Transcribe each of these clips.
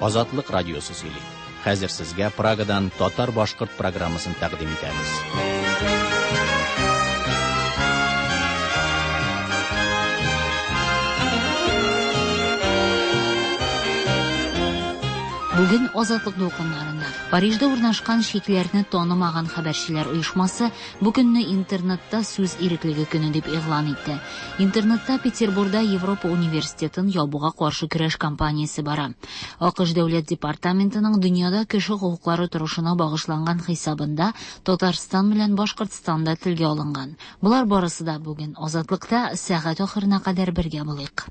Азатлык радиосы сөйли. Хәзер сезгә Прагадан татар-башкорт программасын тәкъдим итәбез. Бүген Азатлык дулкыннарында Парижда урнашкан чикләрне танымаган хәбәрчеләр оешмасы бу көнне интернетта сүз иреклеге көне дип игълан итте. Интернетта Петербурда Европа университетын ябуга каршы көрәш кампаниясе бара. АКШ Дәүләт департаментының дөньяда кеше хокуклары торышына багышланган хисабында Татарстан белән Башкортстан да телгә алынган. Болар барысы да бүген Азатлыкта сәгать ахырына кадәр бергә булыйк.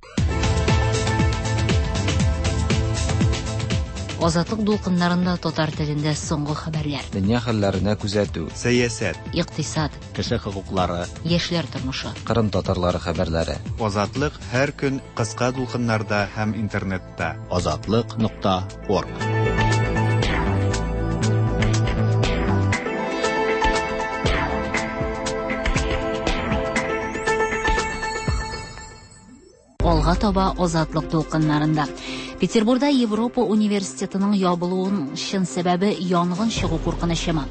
Азатлык дулкыннарында татар телендә соңгы хәбәрләр. Дөнья хәлләренә күзәтү. Сәясәт. Икътисад. Кеше хокуклары. Яшьләр тормышы. Кырым татарлары хәбәрләре. Азатлык һәр көн кыска дулкыннарда һәм интернетта. Азатлык нокта орг. Алга таба Азатлык дулкыннарында. Петербурда Европа университетының ябылуының чын сәбәбе янгын чыгу куркынычымы?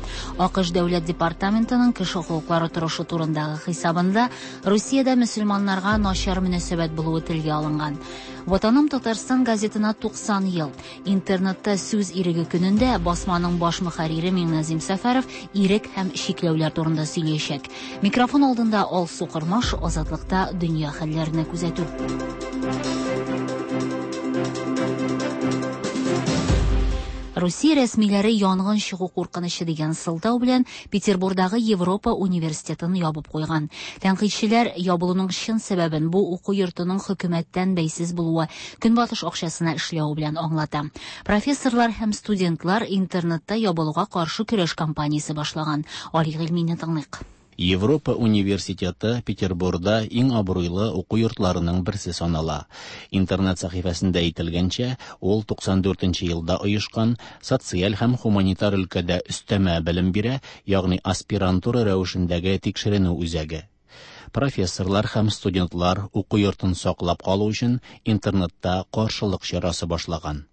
АКШ Дәүләт департаментының кеше хокуклары торышы турындагы хисабында Русиядә мөселманнарга начар мөнәсәбәт булуы телгә алынган. Ватаным Татарстан газетына 90 ел. Интернетта сүз иреге көнендә басманың баш мөхәррире Миңназим Сәфәров ирек һәм чикләүләр турында сөйләячәк. Микрофон алдында Алсу Кормаш, Азатлыкта дөнья хәлләренә күзәтү. Русия рәсмиләре янгын чыгу куркынычы дигән сылтау белән Петербурдагы Европа университетын ябып куйган. Тәнкыйтьчеләр ябылуның чын сәбәбен бу уку йортының хөкүмәттән бәйсез булуы, көнбатыш акчасына эшләве белән аңлата. Профессорлар һәм студентлар интернетта ябылуга каршы көрәш кампаниясе башлаган. Али Гыйльмине тыңлыйк. Европа университеты Петербурда иң абруйлы уку йортларының берсе санала. Интернет сәхифәсендә әйтелгәнчә, ул 94 нче елда оешкан, социаль һәм хуманитар өлкәдә өстәмә белем бирә, ягъни аспирантура рәвешендәге тикшеренү үзәге. Профессорлар һәм студентлар уку йортын саклап калу өчен интернетта каршылык чарасы башлаган.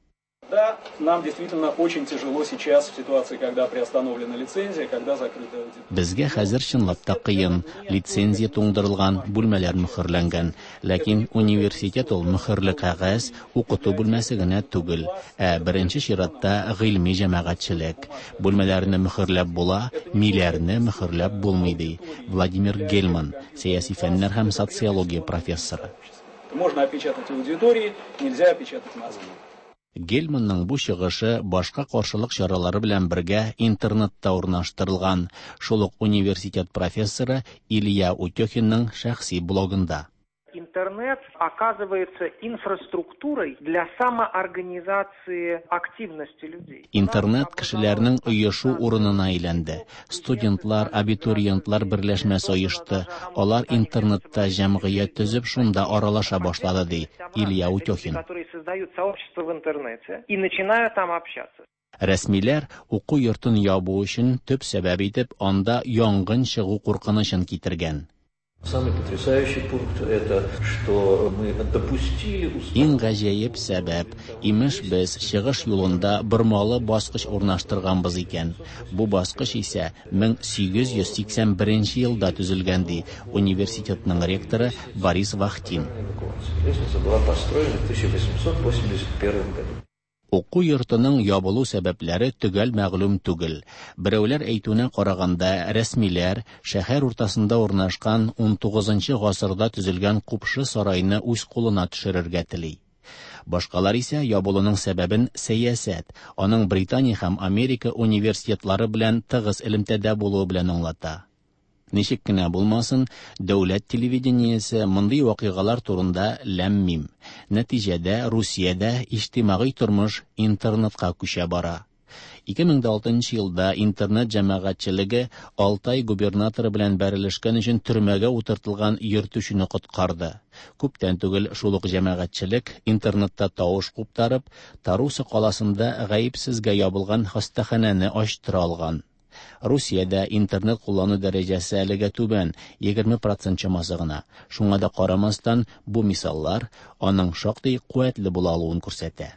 Да, нам действительно очень тяжело сейчас в ситуации, когда приостановлена лицензия, когда закрыта аудитория. Безгә хәзер чынлап та кыен. Лицензия туңдырылган, бүлмәләр мөхерләнгән. Ләкин университет ул мөхерле кәгазь, укыту бүлмәсе генә түгел, ә беренче чиратта гыйльми җәмәгатьчелек. Бүлмәләрне мөхерләп була, миләрне мөхерләп булмый, ди Владимир Гельман, сәяси фәннәр һәм социология профессоры. Можно опечатать аудитории, нельзя опечатать мозги. Гельманның бу чыгышы башка каршылык чаралары белән бергә интернетта урнаштырылган, шул ук университет профессоры Илья Утехинның шәхси блогында. Интернет оказывается инфраструктурой для самоорганизации активности людей. Интернет кешеләрнең оешу урынына әйләнде. Студентлар, абитуриентлар берләшмәсе оешты. Алар интернетта җәмгыять төзеп, шунда аралаша башлады, ди Илья Утехин. Которые создают сообщество в интернете и начинают там общаться. Рәсмиләр уку йортын ябу өчен төп сәбәп итеп анда янгын чыгу куркынычын китергән. Самый потрясающий пункт это, что мы допустили Иң гаҗәеп сәбәп, имеш без чыгыш юлында бормалы баскыч урнаштырганбыз икән. Бу баскыч исә 1881 елда төзелгән, ди университетның ректоры Борис Вахтин. Лестница была построена в 1881 году. Уку йортының ябылу сәбәпләре төгәл мәгълүм түгел. Берәүләр әйтүенә караганда, рәсмиләр шәһәр уртасында урнашкан 19 гасырда төзелгән купшы сарайны үз кулына төшерергә тели. Башкалар исә ябылуның сәбәбен сәясәт, аның Британия һәм Америка университетлары белән тыгыз элемтәдә булуы белән аңлата. Ничек кенә булмасын, дәүләт телевидениесе мондый вакыйгалар турында ләм-мим. Нәтиҗәдә Русиядә иҗтимагый тормыш интернетка күчә бара. 2006 елда интернет җәмәгатьчелеге Алтай губернаторы белән бәрелешкән өчен төрмәгә утыртылган йөртүчене коткарды. Күптән түгел шул ук җәмәгатьчелек интернетта тавыш куптарып, Таруса каласында гаепсезгә ябылган хастаханәне ачтыра алган. Русиядә интернет куллану дәрәҗәсе әлегә түбән, 20% чамасы гына. Шуңа да карамастан, бу мисаллар аның шактый куәтле була алуын күрсәтә.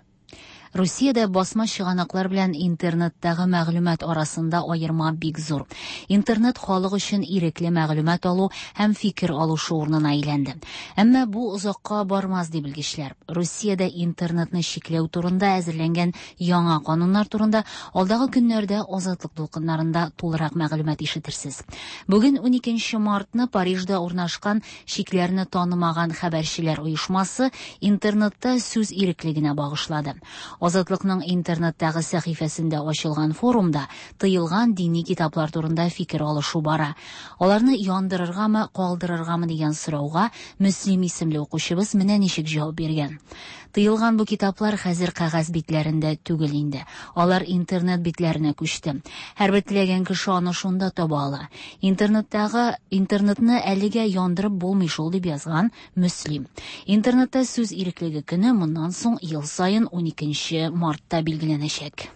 Русиядә басма чыганаклар белән интернеттагы мәгълүмат арасында аерма бик зур. Интернет халык өчен ирекле мәгълүмат алу һәм фикер алышу урынына әйләнде. Әмма бу озакка бармас, ди белгечләр. Русиядә интернетны чикләү турында әзерләнгән яңа кануннар турында алдагы көннәрдә Азатлык дулкыннарында тулырак мәгълүмат ишетерсез. Бүген 12 мартны Парижда урнашкан Чикләрне танымаган хәбәрчеләр оешмасы интернетта сүз иреклегенә багышлады. Азатлыкның интернеттагы сәхифәсендә ачылган форумда тыелган дини китаплар турында фикер алышу бара. Аларны яндырыргамы, калдырыргамы дигән сорауга Мөслим исемле укучыбыз менә ничек җавап биргән. Тыелган бу китаплар хәзер кәгазь битләрендә түгел инде. Алар интернет битләренә күчте. Һәрбер теләгән кеше аны шунда таба ала. Интернеттагы интернетны әлегә яндырып булмый шул, дип язган Мөслим. Интернетта сүз иреклеге көне моннан соң ел саен 12 мартта билгеләнәчәк.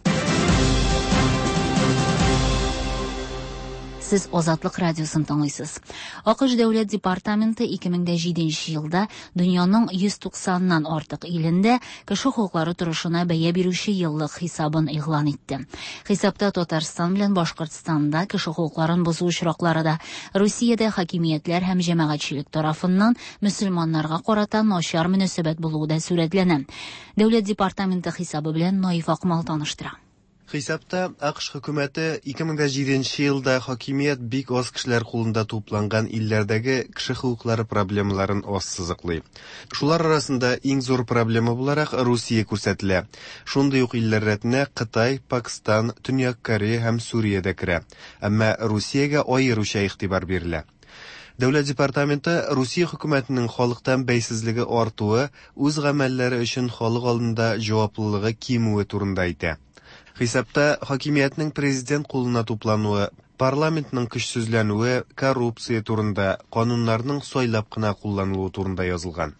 Сез Азатлык радиосын тыңлыйсыз. АКШ Дәүләт департаменты 2007 елда дөньяның 190-нан артык илендә кеше хокуклары торышына бәя бирүче еллык хисабын игълан итте. Хисапта Татарстан белән Башкортстанда кеше хокукларын бозу очраклары да, Русиядә хакимиятләр һәм җәмәгатьчелек тарафыннан мөселманнарга карата начар мөнәсәбәт булуы да сурәтләнә. Дәүләт департаменты хисабы белән Наиф Акмал таныштыра. Хисапта АКШ хөкүмәте 2007 елда хакимият бик аз кешеләр кулында тупланган илләрдәге кеше хокуклары проблемаларын ассызыклый. Шулар арасында иң зур проблема буларак Русия күрсәтелә. Шундый ук илләр рәтенә Кытай, Пакстан, Төньяк Корея һәм Сүрия дә керә. Әмма Русиягә аеруча игътибар бирелә. Дәүләт департаменты Русия хөкүмәтенең халыктан бәйсезлеге артуы, үз гамәлләре өчен халык алдында җаваплылыгы кимүе турында әйтә. Хисапта хакимиятнең президент кулына туплануы, парламентның көчсезләнүе, коррупция турында, кануннарның сайлап кына кулланылуы турында язылган.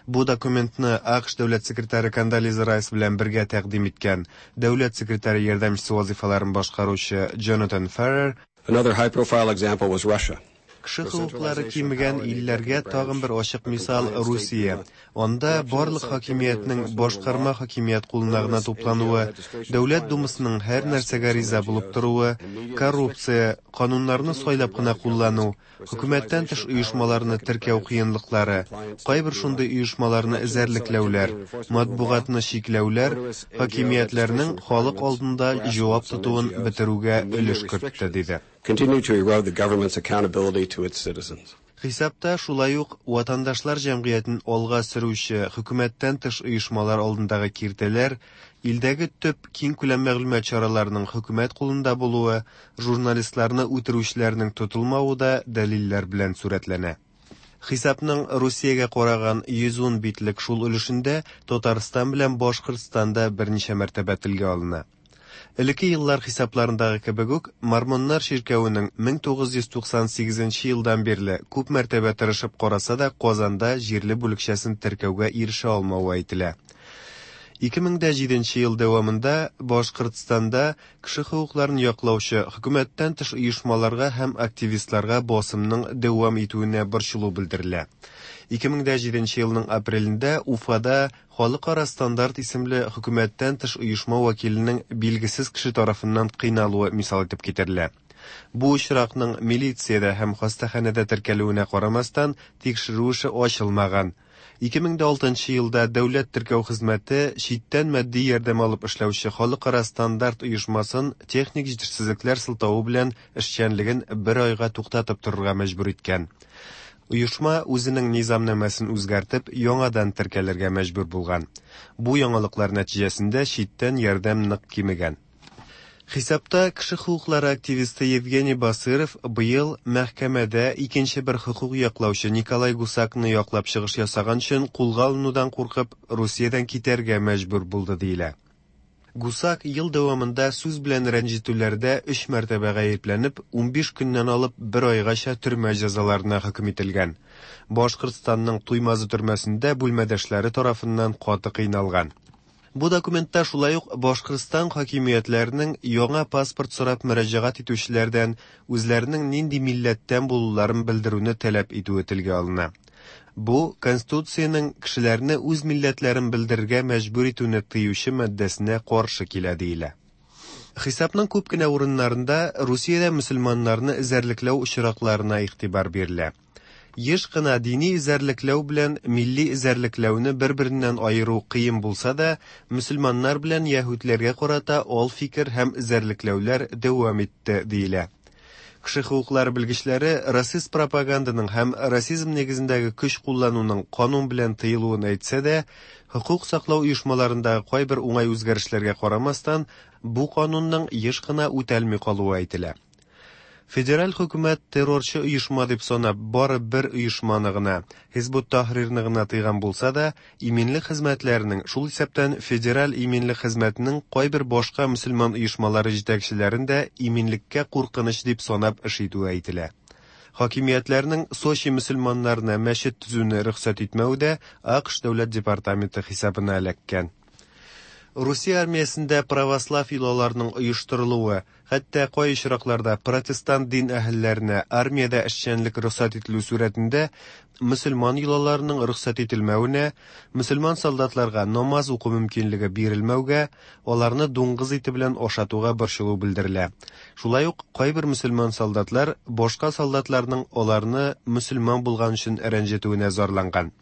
Бу документны АКШ дәүләт секретаре Кондолиза Райс белән бергә тәкъдим иткән дәүләт секретаре ярдәмчесе вазыйфаларын башкаручы Джонатан Феррер Another high-profile example was Russia. Кеше хокуклары кимегән илләргә тагын бер ачык мисал Русия. Анда барлык хакимиятнең башкарма хакимият кулына гына туплануы, Дәүләт Думасының һәр нәрсәгә риза булып торуы, коррупция, кануннарны сайлап кына куллану, хөкүмәттән тыш оешмаларны теркәү кыенлыклары, кайбер шундый оешмаларны эзәрлекләүләр, матбугатны чикләүләр хакимиятләрнең халык алдында җавап тотуын бетерүгә өлеш кертте, диде. Continue to erode the government's accountability to its citizens. Хисапта шулай ук ватандашлар җәмгыятен алга сөрүче хөкүмәттән тыш оешмалар алдындагы киртәләр, илдәге төп киңкүләм мәгълүмат чараларының хөкүмәт кулында булуы, журналистларны үтерүчеләрнең тотылмавы да дәлилләр белән сурәтләнә. Хисапның Русиягә караган 110 битлек шул өлешендә Татарстан белән Башкортстан да берничә мәртәбә телгә алына. Элекке еллар хисапларындагы кебек үк, Мормоннар чиркәвенең 1998 елдан бирле күп мәртәбә тырышып караса да Казанда җирле бүлекчәсен теркәүгә ирешә алмавы әйтелә. 2007 ел дәвамында Башкортстанда кеше хокукларын яклаучы хөкүмәттән тыш оешмаларга һәм активистларга басымның дәвам итүенә борчылу белдерелә. 2007 елның апрелендә Уфада Халыкара стандарт исемле хөкүмәттән тыш оешма вәкиленең билгесез кеше тарафыннан кыйналуы мисал итеп китерелә. Бу очракның милициядә һәм хастаханәдә теркәлүенә карамастан, тикшерү эше ачылмаган. 2006 елда Дәүләт теркәү хезмәте читтән матди ярдәм алып эшләүче Халыкара стандарт оешмасын техник җитешсезлекләр сылтавы белән эшчәнлеген бер айга туктатып торырга мәҗбүр иткән. Оешма үзенең низамнамәсен үзгәртеп, яңадан теркәлергә мәҗбүр булган. Бу яңалыклар нәтиҗәсендә читтән ярдәм нык кимегән. Хисапта кеше хокуклары активисты Евгений Басыров быел мәхкәмәдә икенче бер хокук яклаучы Николай Гусакны яклап чыгыш ясаган өчен кулга алынудан куркып, Русиядән китәргә мәҗбүр булды диелә. Гусак ел дәвамында сүз белән рәнҗетүләрдә өч мәртәбә гаепләнеп, 15 көннән алып бер айгача төрмә җәзаларына хөкем ителгән. Башкортстанның Туймазы төрмәсендә бүлмәдәшләре тарафыннан каты кыйналган. Бу документта шулай ук Башкортстан хакимиятләренең яңа паспорт сорап мөрәҗәгать итүчеләрдән үзләренең нинди милләттән булуларын белдерүне таләп итүе телгә алына. Бу Конституциянең кешеләрне үз милләтләрен белдерергә мәҗбүр итүне тыючы маддәсенә каршы килә диелә. Хисапның күп кенә урыннарында Русиядә мөселманнарны эзәрлекләү очракларына игътибар бирелә. Еш кына дини эзәрлекләү белән милли эзәрлекләүне бер-береннән аеру кыен булса да, мөселманнар белән яһүдләргә карата ал фикер һәм эзәрлекләүләр дәвам итте, диелә. Кеше хокуклары белгечләре расист пропаганданың һәм расизм нигезендәге көч куллануның канун белән тыелуын әйтсә дә, хокук саклау оешмаларындагы кайбер уңай үзгәрешләргә карамастан, бу канунның еш кына үтәлми калуы әйтелә. Федераль хөкүмәт террорчы оешма дип санап бары бер оешманы гына, Хизбут Тахрирны гына тыйган булса да, иминлек хезмәтләренең, шул исәптән Федераль иминлек хезмәтенең кайбер башка мөселман оешмалары җитәкчеләрен дә иминлеккә куркыныч дип санап эш итүе әйтелә. Хакимиятләрнең Сочи мөселманнарына мәчет төзүне рөхсәт итмәве дә АКШ дәүләт департаменты хисабына эләккән. Русия армиясендә православ йолаларының оештырылуы, хәтта кай очракларда протестант дин әһелләренә армиядә эшчәнлек рөхсәт ителү сурәтендә мөселман йолаларының рөхсәт ителмәвенә, мөселман солдатларга намаз уку мөмкинлеге бирелмәүгә, аларны дуңгыз ите белән ашатуга борчылу белдерелә. Шулай ук кайбер мөселман солдатлар башка солдатларның аларны мөселман булган өчен рәнҗетүенә зарланган.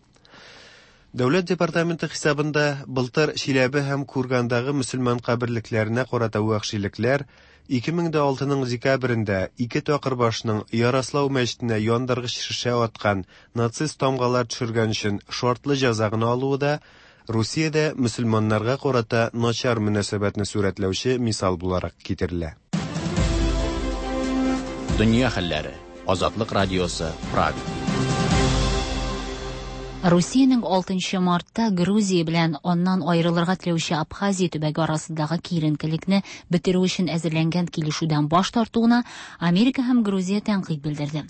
Дәүләт департаменты хисабында былтыр Чиләбе һәм Кургандагы мөселман каберлекләренә карата вәхшилекләр, 2006 декабрендә ике такырбашның Ярослау мәчетенә яндыргыч шешә аткан нацист тамгалар төшергән өчен шартлы җәза гына алуы да Русиядә мөселманнарга карата начар мөнәсәбәтне сурәтләүче мисал буларак китерелә. Дөнья хәлләре. Азатлык радиосы, Прага. Русиянең 6 мартта Грузия белән аннан аерылырга теләүче Абхазия төбәге арасындагы киеренкелекне бетерү өчен әзерләнгән килешүдән баш тартуына Америка һәм Грузия тәнкыйть белдерде.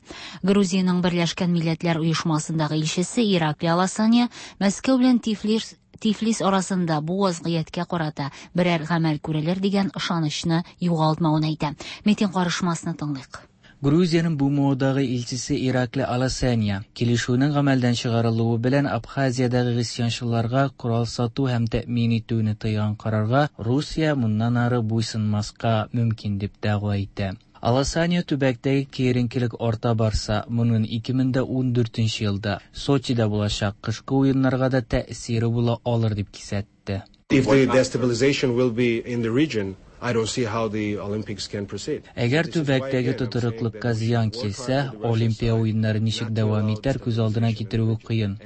Грузиянең Берләшкән Милләтләр Оешмасындагы илчесе Иракли Аласания Мәскәү белән Тифлис Тифлис арасында бу вазгыятькә карата берәр гамәл күрелер дигән ышанычны югалтмавын әйтә. Митинг карышмасны тыңлыйк. Грузиянең БМОдагы илчесе Иракли Аласания килешүнең гамәлдән чыгарылуы белән Абхазиядәге гыйсьянчыларга корал сату һәм тәэмин итүне тыйган карарга Русия моннан ары буйсынмаска мөмкин дип дәгъва итә. Аласания төбәктәге киеренкелек арта барса, моның 2014 елда Сочида булачак кышкы уеннарга да тәэсире була алыр дип кисәтте. If the destabilization will be in the region, I don't see how the Olympics can proceed. Әгәр төбәктәге тотрыклыкка зыян килсә, Олимпия уеннары ничек дәвам итәр күз алдына китерүе кыен.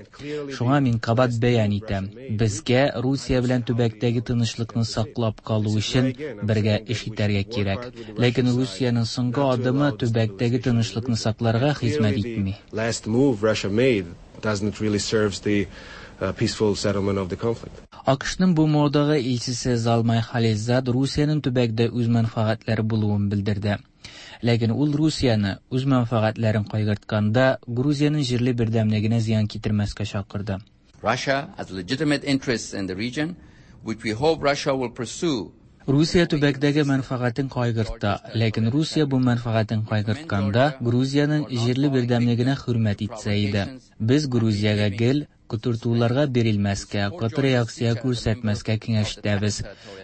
Шуңа мин кабат бәян итәм. Безгә Русия белән төбәктәге тынычлыкны саклап калу өчен бергә эш итәргә кирәк. Ләкин Русиянең соңгы адымы төбәктәге тынычлыкны сакларга хезмәт итми. Last move Russia made doesn't really serves the peaceful settlement of the conflict. АКШның БМОдагы илчесе Залмай Халилзад Русиянең төбәктә үз мәнфәгатьләре булуын белдерде. Ләкин ул Русияне үз мәнфәгатьләрен кайгыртканда Грузиянең җирле бердәмлегенә зыян китермәскә чакырды. Russia has legitimate interests in the region, which we hope Russia will pursue. Русия төбәктәге мәнфәгатен кайгырта, ләкин Русия бу мәнфәгатен кайгыртканда Грузиянең җирле бердәмлегенә хөрмәт итсә иде. Без Грузиягә гел котыртуларга бирелмәскә, каты реакция күрсәтмәскә киңәш итәбез.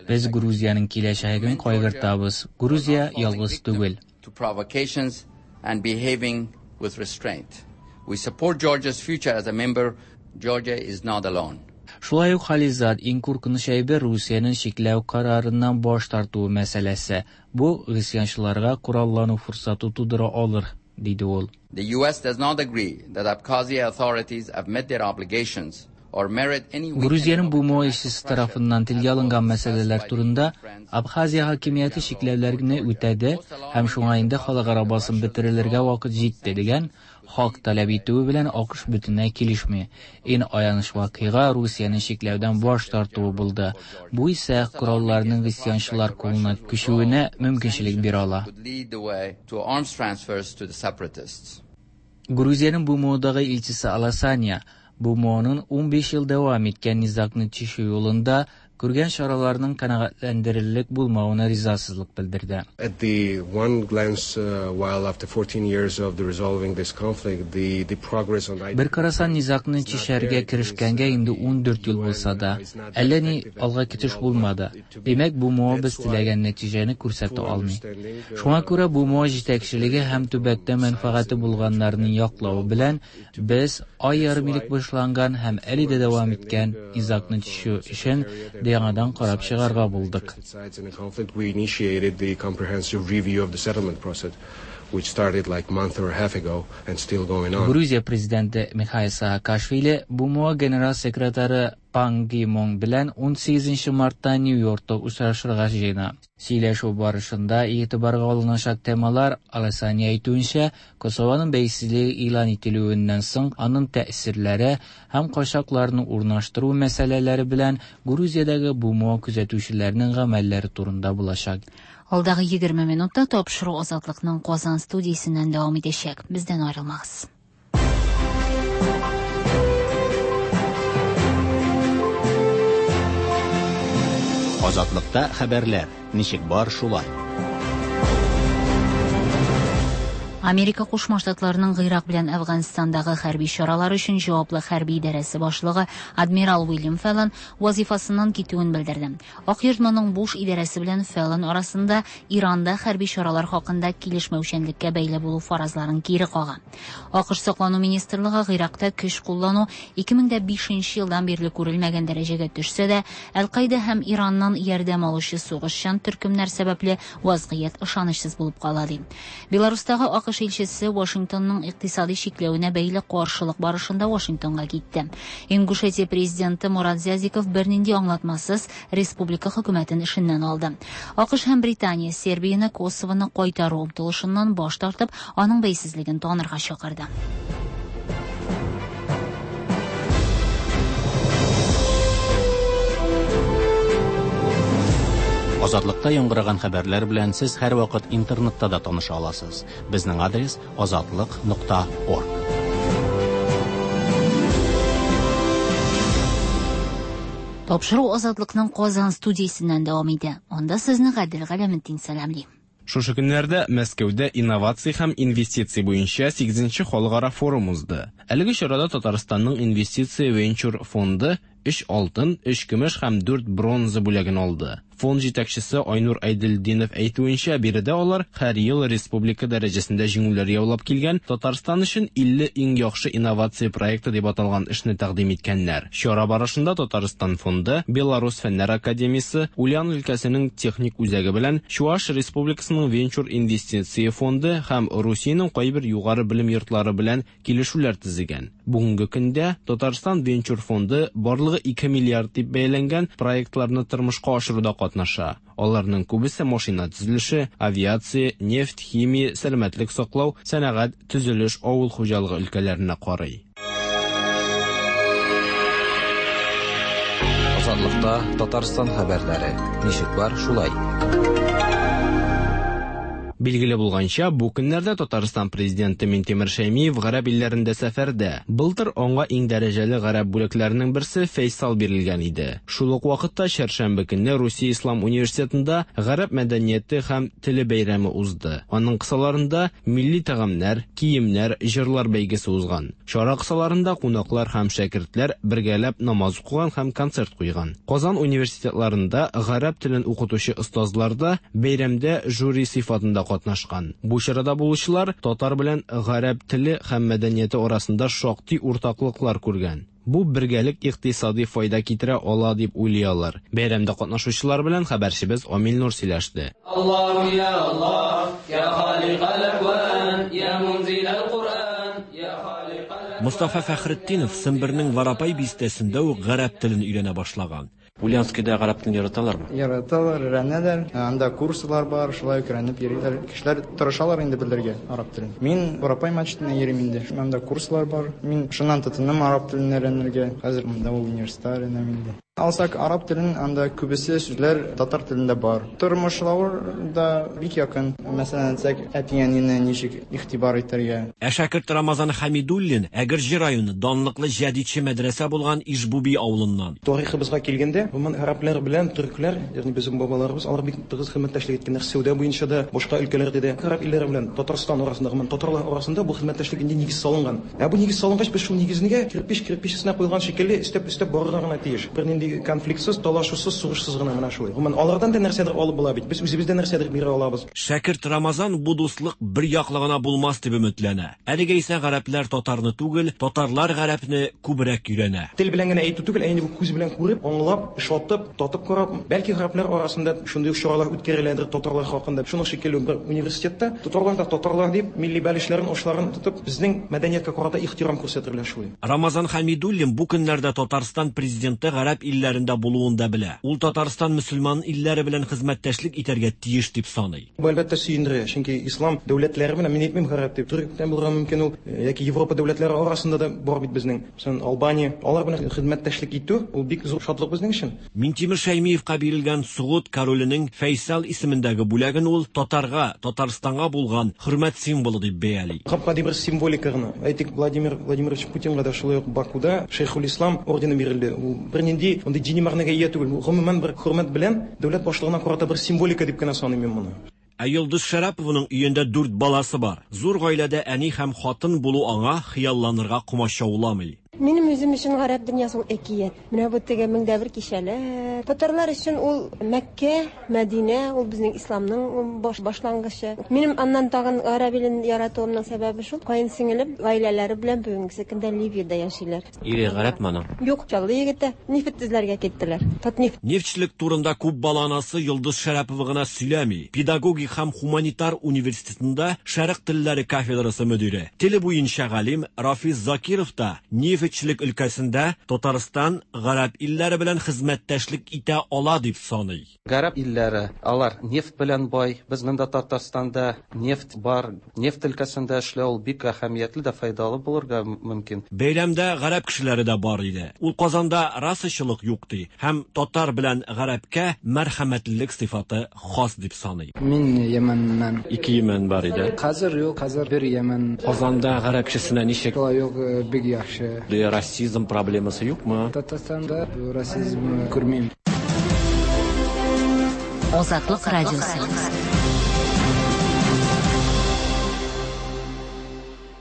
Без Грузиянең киләчәген кайгыртабыз. Грузия ялгыз түгел. To provocations and behaving with restraint. We support Georgia's future as a member. Georgia is not alone. Шулай ук Халилзад иң куркыныч әйбер Русиянең чикләү карарыннан баш тартуы мәсьәләсе. Бу гыйсьянчыларга кораллану форсаты тудыра алыр, диде ул. The US does not agree that Abkhazia authorities have met their obligations or merit any Грузиянең БМО илчесе тарафыннан телгә алынган мәсьәләләр турында Абхазия хакимияте чикләүләрне үтәде һәм шуңа инде халыкара басым бетерелергә вакыт җитте дигән хак таләп итүе белән АКШ бөтенләй килешми. Иң аяныч вакыйга Русиянең чикләүдән баш тартуы булды. Бу исә коралларның гыйсьянчылар кулына күчүенә мөмкинчелек бирә ала. Could lead the way to arms transfers to the separatists. Грузиянең БМОдагы илчесе Аласания БМОның 15 ел дәвам иткән низагны чишү юлында күргән чараларның канәгатьләндерерлек булмавына ризасызлык белдерде. At the one glance, while after 14 years of the resolving this conflict, the progress on Бер карасан, низагны чишәргә керешкәнгә инде 14 ел булса да, әллә ни алга китеш булмады. Димәк, БМО без теләгән нәтиҗәне күрсәтә алмый. Шуңа күрә БМО җитәкчелеге һәм төбәктә мәнфәгате булганнарның яклавы белән без ай ярым элек башланган һәм әле дә дәвам иткән низагны чишү эшен яңадан карап чыгарга булдык. We initiated the comprehensive review of the settlement process, which started like month or a half ago and still going on. Грузия президенты Михаил Саакашвили БМО генераль секретаре Пан Ги Мун белән 18 мартта Нью-Йоркта очрашырга җыена. Сөйләшү барышында игътибарга алыначак темалар, Аласания әйтүенчә, Косованың бәйсезлеге игълан ителүеннән соң аның тәэсирләре һәм качакларны урнаштыру мәсьәләләре белән Грузиядәге БМО күзәтүчеләренең гамәлләре турында булачак. Алдагы 20 минутта тапшыру Азатлыкның Казан студиясеннән дәвам итәчәк. Бездән аерылмагыз. Азатлыкта хәбәрләр ничек бар шулай. Америка Кушма Штатларының Гыйрак белән Әфганстандагы хәрби чаралар өчен җаваплы хәрби идарәсе башлыгы адмирал Уильям Феллон вазифасыннан китүен белдерде. Ак йорт моның Буш идарәсе белән Феллон арасында Иранда хәрби чаралар хакында килешмәүчәнлеккә бәйле булу фаразларын кире кага. АКШ саклану министрлыгы Гыйракта көч куллану 2005 елдан бирле күрелмәгән дәрәҗәгә төшсә дә, Әл-Каида һәм Ираннан ярдәм алучы сугышчан төркемнәр сәбәпле вазгыять ышанычсыз булып кала ди. Беларустагы АКШ илчесе Вашингтонның икътисади чикләвенә бәйле каршылык барышында Вашингтонга китте. Ингушетия президенты Мурат Зязиков бернинди аңлатмасыз республика хөкүмәтен эшеннән алды. АКШ һәм Британия Сербияне Косовоны кайтару омтылышыннан баш тартып, аның бәйсезлеген танырга чакырды. Азатлыкта яңгыраган хәбәрләр белән сез һәрвакыт интернетта да таныша аласыз. Безнең адрес azatliq.org. Тапшыру Азатлыкның Казан студиясеннән дәвам итә. Анда сезне Гадел Галәметдин сәламли. Шушы көннәрдә Мәскәүдә инновация һәм инвестиция буенча 8нче халыкара форум узды. Әлеге чарада Татарстанның инвестиция венчур фонды 3 алтын, 3 көмеш һәм 4 бронза бүләген алды. Фонд җитәкчесе Айнур Айделдинов әйтүенчә, биредә алар һәр ел республика дәрәҗәсендә җиңүләр яулап килгән Татарстан өчен 50 иң яхшы инновация проекты дип аталган эшне тәкъдим иткәннәр. Чара барышында Татарстан фонды, Беларус фәннәр академиясе, Ульян өлкәсенең техник үзәге белән Чуаш республикасының венчур инвестиция фонды һәм Русиянең кайбер югары белем йортлары белән килешүләр төзегән. Бүгенге көндә Татарстан венчур фонды барлыгы 2 миллиард дип бәяләнгән проектларны тормышка ашыруда катнаша. Аларның күбесе машина төзелеше, авиация, нефть, химия, сәламәтлек саклау, сәнәгать, төзелеш, авыл хуҗалыгы өлкәләренә карый. Азатлыкта Татарстан хәбәрләре. Ничек бар шулай. Билгеле булганча, бу көннәрдә Татарстан президенты Минтимер Шәймиев гарәп илләрендә сәфәрдә. Былтыр аңа иң дәрәҗәле гарәп бүләкләренең берсе Фәйсал бирелгән иде. Шул ук вакытта чәршәмбе көнне Русия Ислам университетында гарәп мәдәнияте һәм теле бәйрәме узды. Аның кысаларында милли тәгамнәр, киемнәр, җырлар бәйгесе узган. Чара кысаларында кунаклар һәм шәкертләр бергәләп намаз укыган һәм концерт куйган. Казан университетларында гарәп телен укытучы остазлар да бәйрәмдә жюри сыйфатында катнашкан. Бу чарада булучылар татар белән гарәп теле һәм мәдәнияте арасында шактый уртаклыклар күргән. Бу бергәлек икътисади файда китерә ала дип уйлый алар. Бәйрәмдә катнашучылар белән хәбәрчебез Амил Нур сөйләште. Аллаһу я Аллаһ, я халикал акван, я мунзилал Куръан, я халикал. Мустафа Фәхретдинов Сембернең Варапай бистәсендә үк гарәп телен өйрәнә башлаган. Ульяновскида гарәп телен яраталармы? Яраталар, өйрәнәләр. Анда курслар бар, шулай ук өйрәнеп йөриләр. Кешеләр тырышалар инде белергә араб телен. Мин Варапай мәчетенә йөрим инде. Анда курслар бар. Мин шуннан тотындым араб телен өйрәнергә. Хәзер монда университетта өйрәнәм инде. Алсак араб телен, анда күбесе сүзләр татар телендә бар. Тормышлары да бик якын. Мәсәлән, әйтсәк, әти-әнине ничек игътибар итәргә. Ә шәкерт Рамазан Хәмидуллин Әгерҗе районы, данлыклы җәдитче мәдрәсә булган Ижбуби авылыннан. Тарихыбызга килгәндә, гомумән, гарәпләр белән төркләр, ягъни безнең бабаларыбыз, алар бик тыгыз хезмәттәшлек иткәннәр сәүдә буенча да, башка өлкәләрдә дә. Гарәп илләре белән Татарстан арасында, гомумән, татарлар арасында бу хезмәттәшлек инде нигез салынган. Ә бу нигез салынгач, без шул нигезнегә кирпеч кирпеч өстенә куелган шикелле өстәп-өстәп барырга гына тиеш. Бернинди конфликтсыз, талашусыз, сугышсыз гына менә шулай. Гомумән, алардан да нәрсәдер алып була бит. Без үзебез дә нәрсәдер бирә алабыз. Шәкерт Рамазан бу дуслык бер яклы гына булмас дип өметләнә. Әлегә исә гарәпләр татарны түгел, татарлар гарәпне күбрәк өйрәнә. Тел белән генә әйтү түгел, ә инде бу күз белән күреп, аңлап, ошатып, татып карап, бәлки гарәпләр арасында шундый ук чаралар үткәреләдер татарлар хакында. Шуның шикелле бер университетта татарлар да татарлар дип, милли бәлешләрен, ашларын тотып, безнең мәдәнияткә карата ихтирам күрсәтерләр шулай. Рамазан Хәмидуллин бу көннәрдә Татарстан Президенты гарәп илләрендә булуын да белә. Ул Татарстан мөселман илләре белән хезмәттәшлек итәргә тиеш дип саный. Бу, әлбәттә, сөендерә, чөнки ислам дәүләтләре белән, мин әйтмим гарәп дип, төрек тә булырга мөмкин ул, яки Европа дәүләтләре арасында да бар бит безнең, мәсәлән, Албания, алар белән хезмәттәшлек итү, ул бик зур шатлык безнең өчен. Минтимер Шәймиевка бирелгән Согуд короленең Фәйсал исемендәге бүләген ул татарга, Татарстанга булган хөрмәт символы дип бәяли. Гап-гади бер символика гына. Әйтик, Владимир Владимирович Путинга да шулай ук Бакуда Шәйхулислам ордены бирелде. Ул бернинди мондый дини мәгънәгә ия түгел. Бу, гомумән, бер хөрмәт белән дәүләт башлыгына карата бер символика дип кенә саныйм мин моны. Ә Йолдыз Шәрәпованың өендә дүрт баласы бар. Зур гаиләдә әни һәм хатын булу аңа хыялланырга комачауламый. Минем үзем өчен гарәп дөньясы ул әкият. Менә бу теге меңдә бер кичәләр. Татарлар өчен ул Мәккә, Мәдинә, ул безнең исламның баш башлангычы. Минем аннан тагын гарәп илен яратуымның сәбәбе шул, каенсеңелем гаиләләре белән бүгенгесе көндә Ливиядә яшиләр. Ире гарәпме аның? Юк, Чаллы егете. Нефть эзләргә киттеләр. Татнефть. Нефтьчелек турында күп бала анасы Йолдыз Шәрәпова гына сөйләми. Педагогик һәм һуманитар университетында шәрык телләре кафедрасы мөдире, теле буенча галим Рафис Закиров та нефтьчелек өлкәсендә Татарстан гарәп илләре белән хезмәттәшлек итә ала дип саный. Гарәп илләре, алар нефть белән бай. Безнең дә Татарстанда нефть бар. Нефть өлкәсендә эшләү ул бик әһәмиятле дә файдалы булырга мөмкин. Бәйрәмдә гарәп кешеләре дә бар иде. Ул Казанда расачылык юк ди һәм татар белән гарәпкә мәрхәмәтлелек сыйфаты хас дип саный. Мин Йәмәннән. Ике Йәмән бар иде. Хәзер юк, хәзер бер Йәмән. Казанда гарәп кешесенә ничек? Шулай ук бик яхшы. Расизм проблемасы юкмы? Татарстанда расизм күрмим. Азатлык радиосы.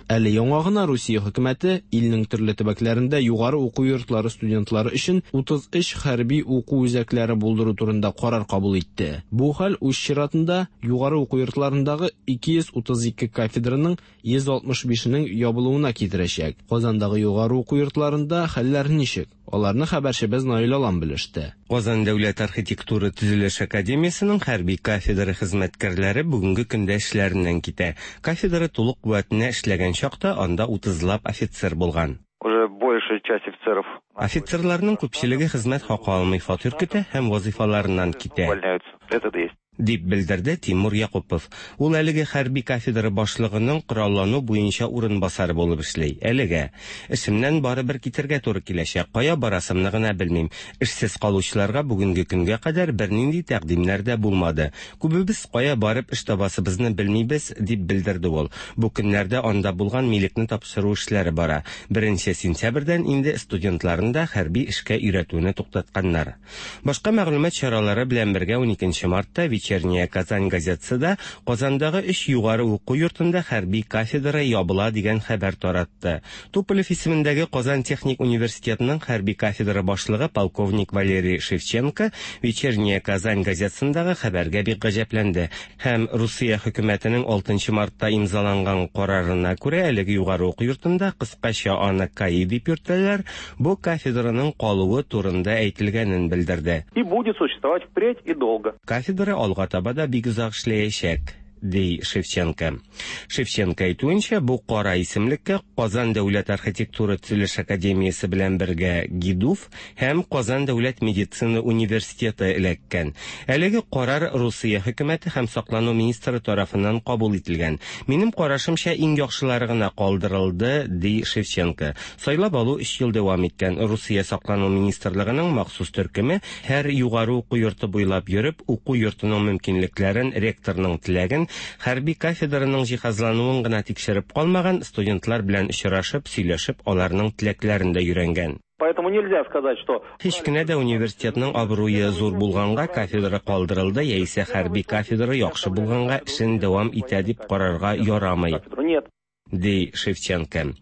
Әле яңа гына Русия хөкүмәте илнең төрле төбәкләрендә югары уку йортлары студентлары өчен 33 хәрби уку үзәкләре булдыру турында карар кабул итте. Бу хәл үз чиратында югары уку йортларындагы 232 кафедраның 165-енең ябылуына китерәчәк. Казандагы югары уку йортларында хәлләр ничек? Аларны хәбәрчебез Наил Алан белеште. Казан дәүләт архитектура төзелеш академиясенең хәрби кафедра хезмәткәрләре бүгенге көндә эшләреннән китә. Кафедра тулы куәтенә эшләгән чакта анда утызлап офицер булган. Уже большая часть офицеров. Офицерларның күпчелеге хезмәт хакы алмый фатир көтә һәм вазыйфаларыннан китә. Увольняются. Это да есть. Дип белдерде Тимур Якупов. Ул әлеге хәрби кафедра башлыгының кораллану буенча урынбасары булып эшли. Әлегә. Эшемнән барыбер китәргә туры киләчәк. Кая барасымны гына белмим. Эшсез калучыларга бүгенге көнгә кадәр бернинди тәкъдимнәр дә булмады. Күбебез кая барып эш табасыбызны белмибез, дип белдерде ул. Бу көннәрдә анда булган милекне тапшыру эшләре бара. 1 сентябрьдән инде студентларны да хәрби эшкә өйрәтүне туктатканнар. Башка мәгълүмат чаралары белән бергә 12 мартта Вечерняя Казань газетасы да Казандагы өч югары уку йортында хәрби кафедра ябыла дигән хәбәр таратты. Туполев исемендәге Казан техник университетының хәрби кафедра башлыгы полковник Валерий Шевченко Вечерняя Казань газетасындагы хәбәргә бик гаҗәпләнде һәм Русия хөкүмәтенең 6 мартта имзаланган карарына күрә әлеге югары уку йортында кыскача аны КАИ дип йөртәләр, бу кафедраның калуы турында әйтелгәнен белдерде. И будет существовать впредь и долго. Кафедра алга таба да бик озак эшләячәк. ди Шевченко. Шевченко әйтүенчә, бу кара исемлеккә Казан дәүләт архитектура төзелеш академиясе белән бергә ГИДУВ һәм Казан дәүләт медицина университеты эләккән. Әлеге карар Русия хөкүмәте һәм саклану министры тарафыннан кабул ителгән. Минем карашымча, иң яхшылары гына калдырылды, ди Шевченко. Сайлап алу өч ел дәвам иткән. Русия саклану министрлыгының махсус төркеме һәр югары уку йорты буйлап йөреп, уку йортының мөмкинлекләрен, ректорның теләген, хәрби кафедраның җиһазлануын гына тикшереп калмаган, студентлар белән очрашып, сөйләшеп, аларның теләкләрен дә өйрәнгән. Поэтому нельзя сказать, что Һич кенә дә университетның абруе зур булганга кафедра калдырылды яисә хәрби кафедра яхшы булганга эшен дәвам итә дип карарга ярамый. Нет. Ди Шевченко.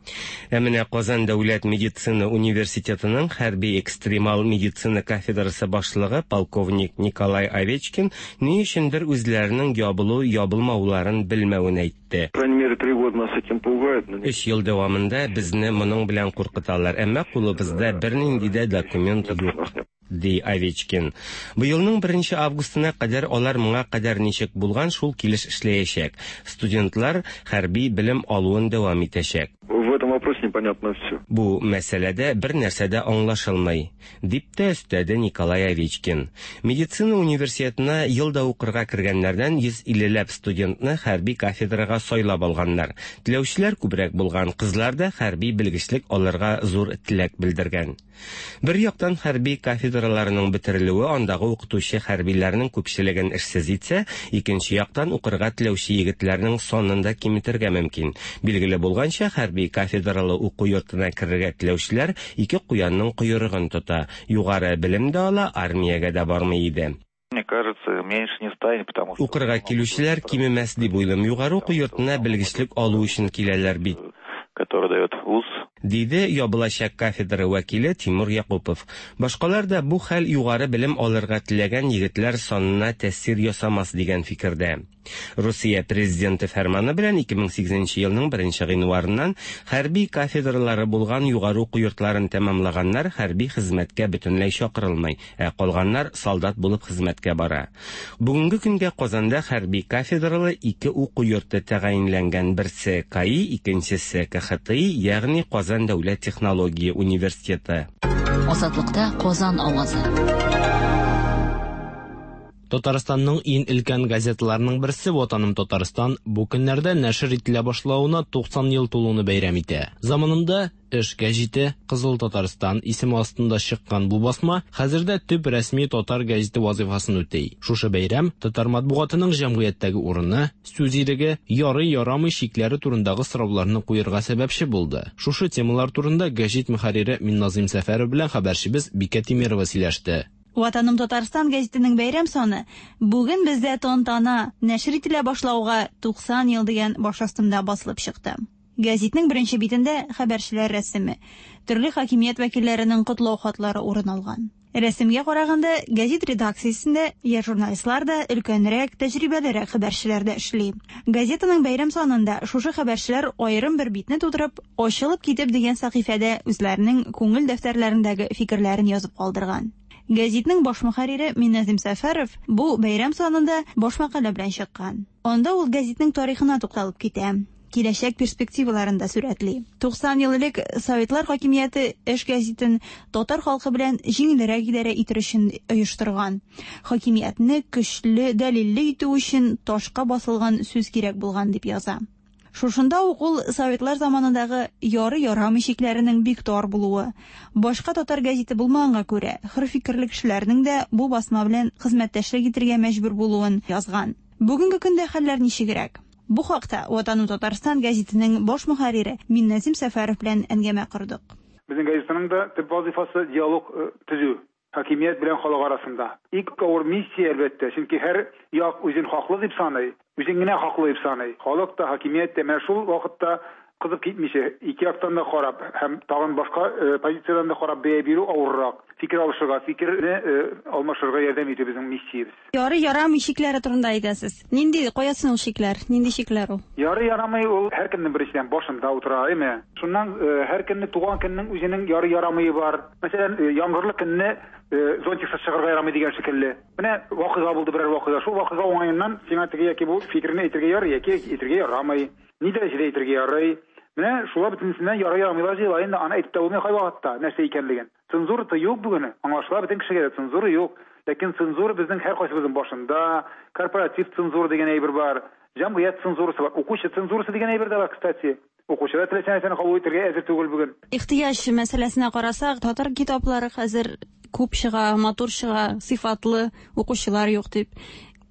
Ә менә Казан дәүләт медицина университетының хәрби экстремал медицина кафедрасы башлыгы полковник Николай Овечкин ни өчендер үзләренең ябылу-ябылмауларын белмәвен әйтте. По крайней мере, 3 года нас этим пугают. Но Өч ел дәвамында безне моның белән куркыталар, әмма кулыбызда бернинди дә документ юк, ди Овечкин. Быелның 1 августына кадәр алар моңа кадәр ничек булган, шул килеш эшләячәк. Студентлар хәрби белем алуын дәвам итәчәк. В этом вопросе непонятно все. Бу мәсьәләдә бер нәрсә дә аңлашылмый, дип тә өстәде Николай Овечкин. Медицина университетына елда укырга кергәннәрдән 150 ләп студентны хәрби кафедрага сайлап алганнар. Теләүчеләр күбрәк булган, кызлар да хәрби белгечлек алырга зур теләк белдергән. Бер яктан хәрби кафедраларының бетерелүе андагы укытучы хәрбиләрнең күпчелеген эшсез итсә, икенче яктан укырга теләүче егетләрнең санын да киметергә мөмкин. Билгеле булганча, хәрби кафедралы уку йортына керергә теләүчеләр ике куянның койрыгын тота. Югары белем дә ала, армиягә дә бармый иде. Мне кажется, меньше не станет, потому что Укырга килүчеләр кимемәс дип уйлыйм. Югары уку йортына белгечлек алу өчен киләләр бит. Который дает вуз. Диде ябылачак кафедра вәкиле Тимур Якупов. Башкалар да бу хәл югары белем алырга теләгән егетләр санына тәэсир ясамас дигән фикердә. Русия президенты фәрманы белән 2008 елның 1 гыйнварыннан хәрби кафедралары булган югары уку йортларын тәмамлаганнар хәрби хезмәткә бөтенләй чакырылмый, ә калганнар солдат булып хезмәткә бара. Бүгенге көнгә Казанда хәрби кафедралы ике уку йорты тәгаенләнгән: берсе КАИ, икенчесе КХТИ, ягъни Казан дәүләт технология университеты. Азатлыкта Казан авазы. Татарстанның иң өлкән газеталарының берсе Ватаным Татарстан бу көннәрдә нәшер ителә башлавына 90 ел тулуны бәйрәм итә. Заманында Эш гәҗите, Кызыл Татарстан исеме астында чыккан бу басма хәзердә төп рәсми татар гәҗите вазифасын үти. Шушы бәйрәм татар матбугатының җәмгыятьтәге урыны, сүз иреге, ярый ярамый чикләре турындагы сорауларны куярга сәбәпче булды. Шушы темалар турында гәҗит мөхәррире Минназыйм Сәфәров белән хәбәрчебез Бикә Тимирова сөйләште. Ватаным Татарстан гәзитенең бәйрәм саны бүген бездә тантана нәшер ителә башлауга 90 ел дигән баш астында басылып чыкты. Гәзитнең беренче битендә хәбәрчеләр рәсеме, төрле хакимият вәкилләренең котлау хатлары урын алган. Рәсемгә караганда, гәзит редакциясендә яшь журналистлар да, өлкәнрәк, тәҗрибәлерәк хәбәрчеләр дә эшли. Газетаның бәйрәм санында шушы хәбәрчеләр аерым бер битне тутырып, ачылып китеп дигән сәхифәдә үзләренең күңел дәфтәрләрендәге фикерләрен язып калдырган. Гәзитнең баш мөхәррире Минназим Сәфәров бу бәйрәм санында баш мәкалә белән чыккан. Анда ул гәзитнең тарихына тукталып китә, киләчәк перспективаларын да сурәтли. 90 ел элек Советлар хакимияте Эш гәзитен татар халкы белән җиңелрәк идарә итер өчен оештырган. Хакимиятне көчле, дәлилле итү өчен ташка басылган сүз кирәк булган дип яза. Шушында ук ул Советлар заманындагы ярый ярамый чикләренең бик тар булуы, башка татар гәзите булмаганга күрә, хөр фикерле кешеләрнең дә бу басма белән хезмәттәшлек итәргә мәҗбүр булуын язган. Бүгенге көндә хәлләр ничегрәк? Бу хакта Ватаным Татарстан гәзитенең баш мөхәррире Минназим Сәфәров белән әңгәмә кордык. Безнең газетаның да төп вазифасы диалог төзү хакимият белән халык арасында. Иң авыр миссия, әлбәттә, чөнки һәр як үзен хаклы дип саный, үзен генә хаклы дип саный. Халык та, хакимият тә. Менә шул вакытта Кызып китмичә, ике яктан да карап һәм тагын башка позициядән дә карап бәя бирү авыррак. Фикер алышырга, фикерне алмашырга ярдәм итү безнең миссиябез. Ярый, ярамый чикләре турында әйтәсез. Нинди, кая соң ул чикләр? Нинди чикләр ул? Ярый, ярамый ул һәркемнең беренчедән башында утыра, әйме? Шуннан һәркемне туган көннең үзенең ярый, ярамые бар. Мәсәлән, яңгырлы көнне зонтиксыз чыгарга ярамый дигән шикелле. Менә вакыйга булды, берәр вакыйга. Шул вакыйга уңаеннан сиңа теге яки бу фикерне әйтергә ярый яки әйтергә ярамый. Ни дәрәҗәдә әйтергә ярый? Менә шулар бөтенесеннән ярый ярамыйлар җыела инде, аны әйтеп тә булмый кайвакытта нәрсә икәнлеген. Цензура юк бүген, аңлашыла бөтен кешегә дә, цензура юк. Ләкин цензура безнең һәркайсыбызның башында, корпоратив цензура дигән әйбер бар, җәмгыять цензурасы бар, укучы цензурасы дигән әйбер дә бар, кстати. Укучы да теләсә нәрсәне кабул итәргә әзер түгел бүген. Ихтыяҗ мәсьәләсенә карасак, татар китаплары хәзер күп чыга, матур чыга, сыйфатлы, укучылар юк дип.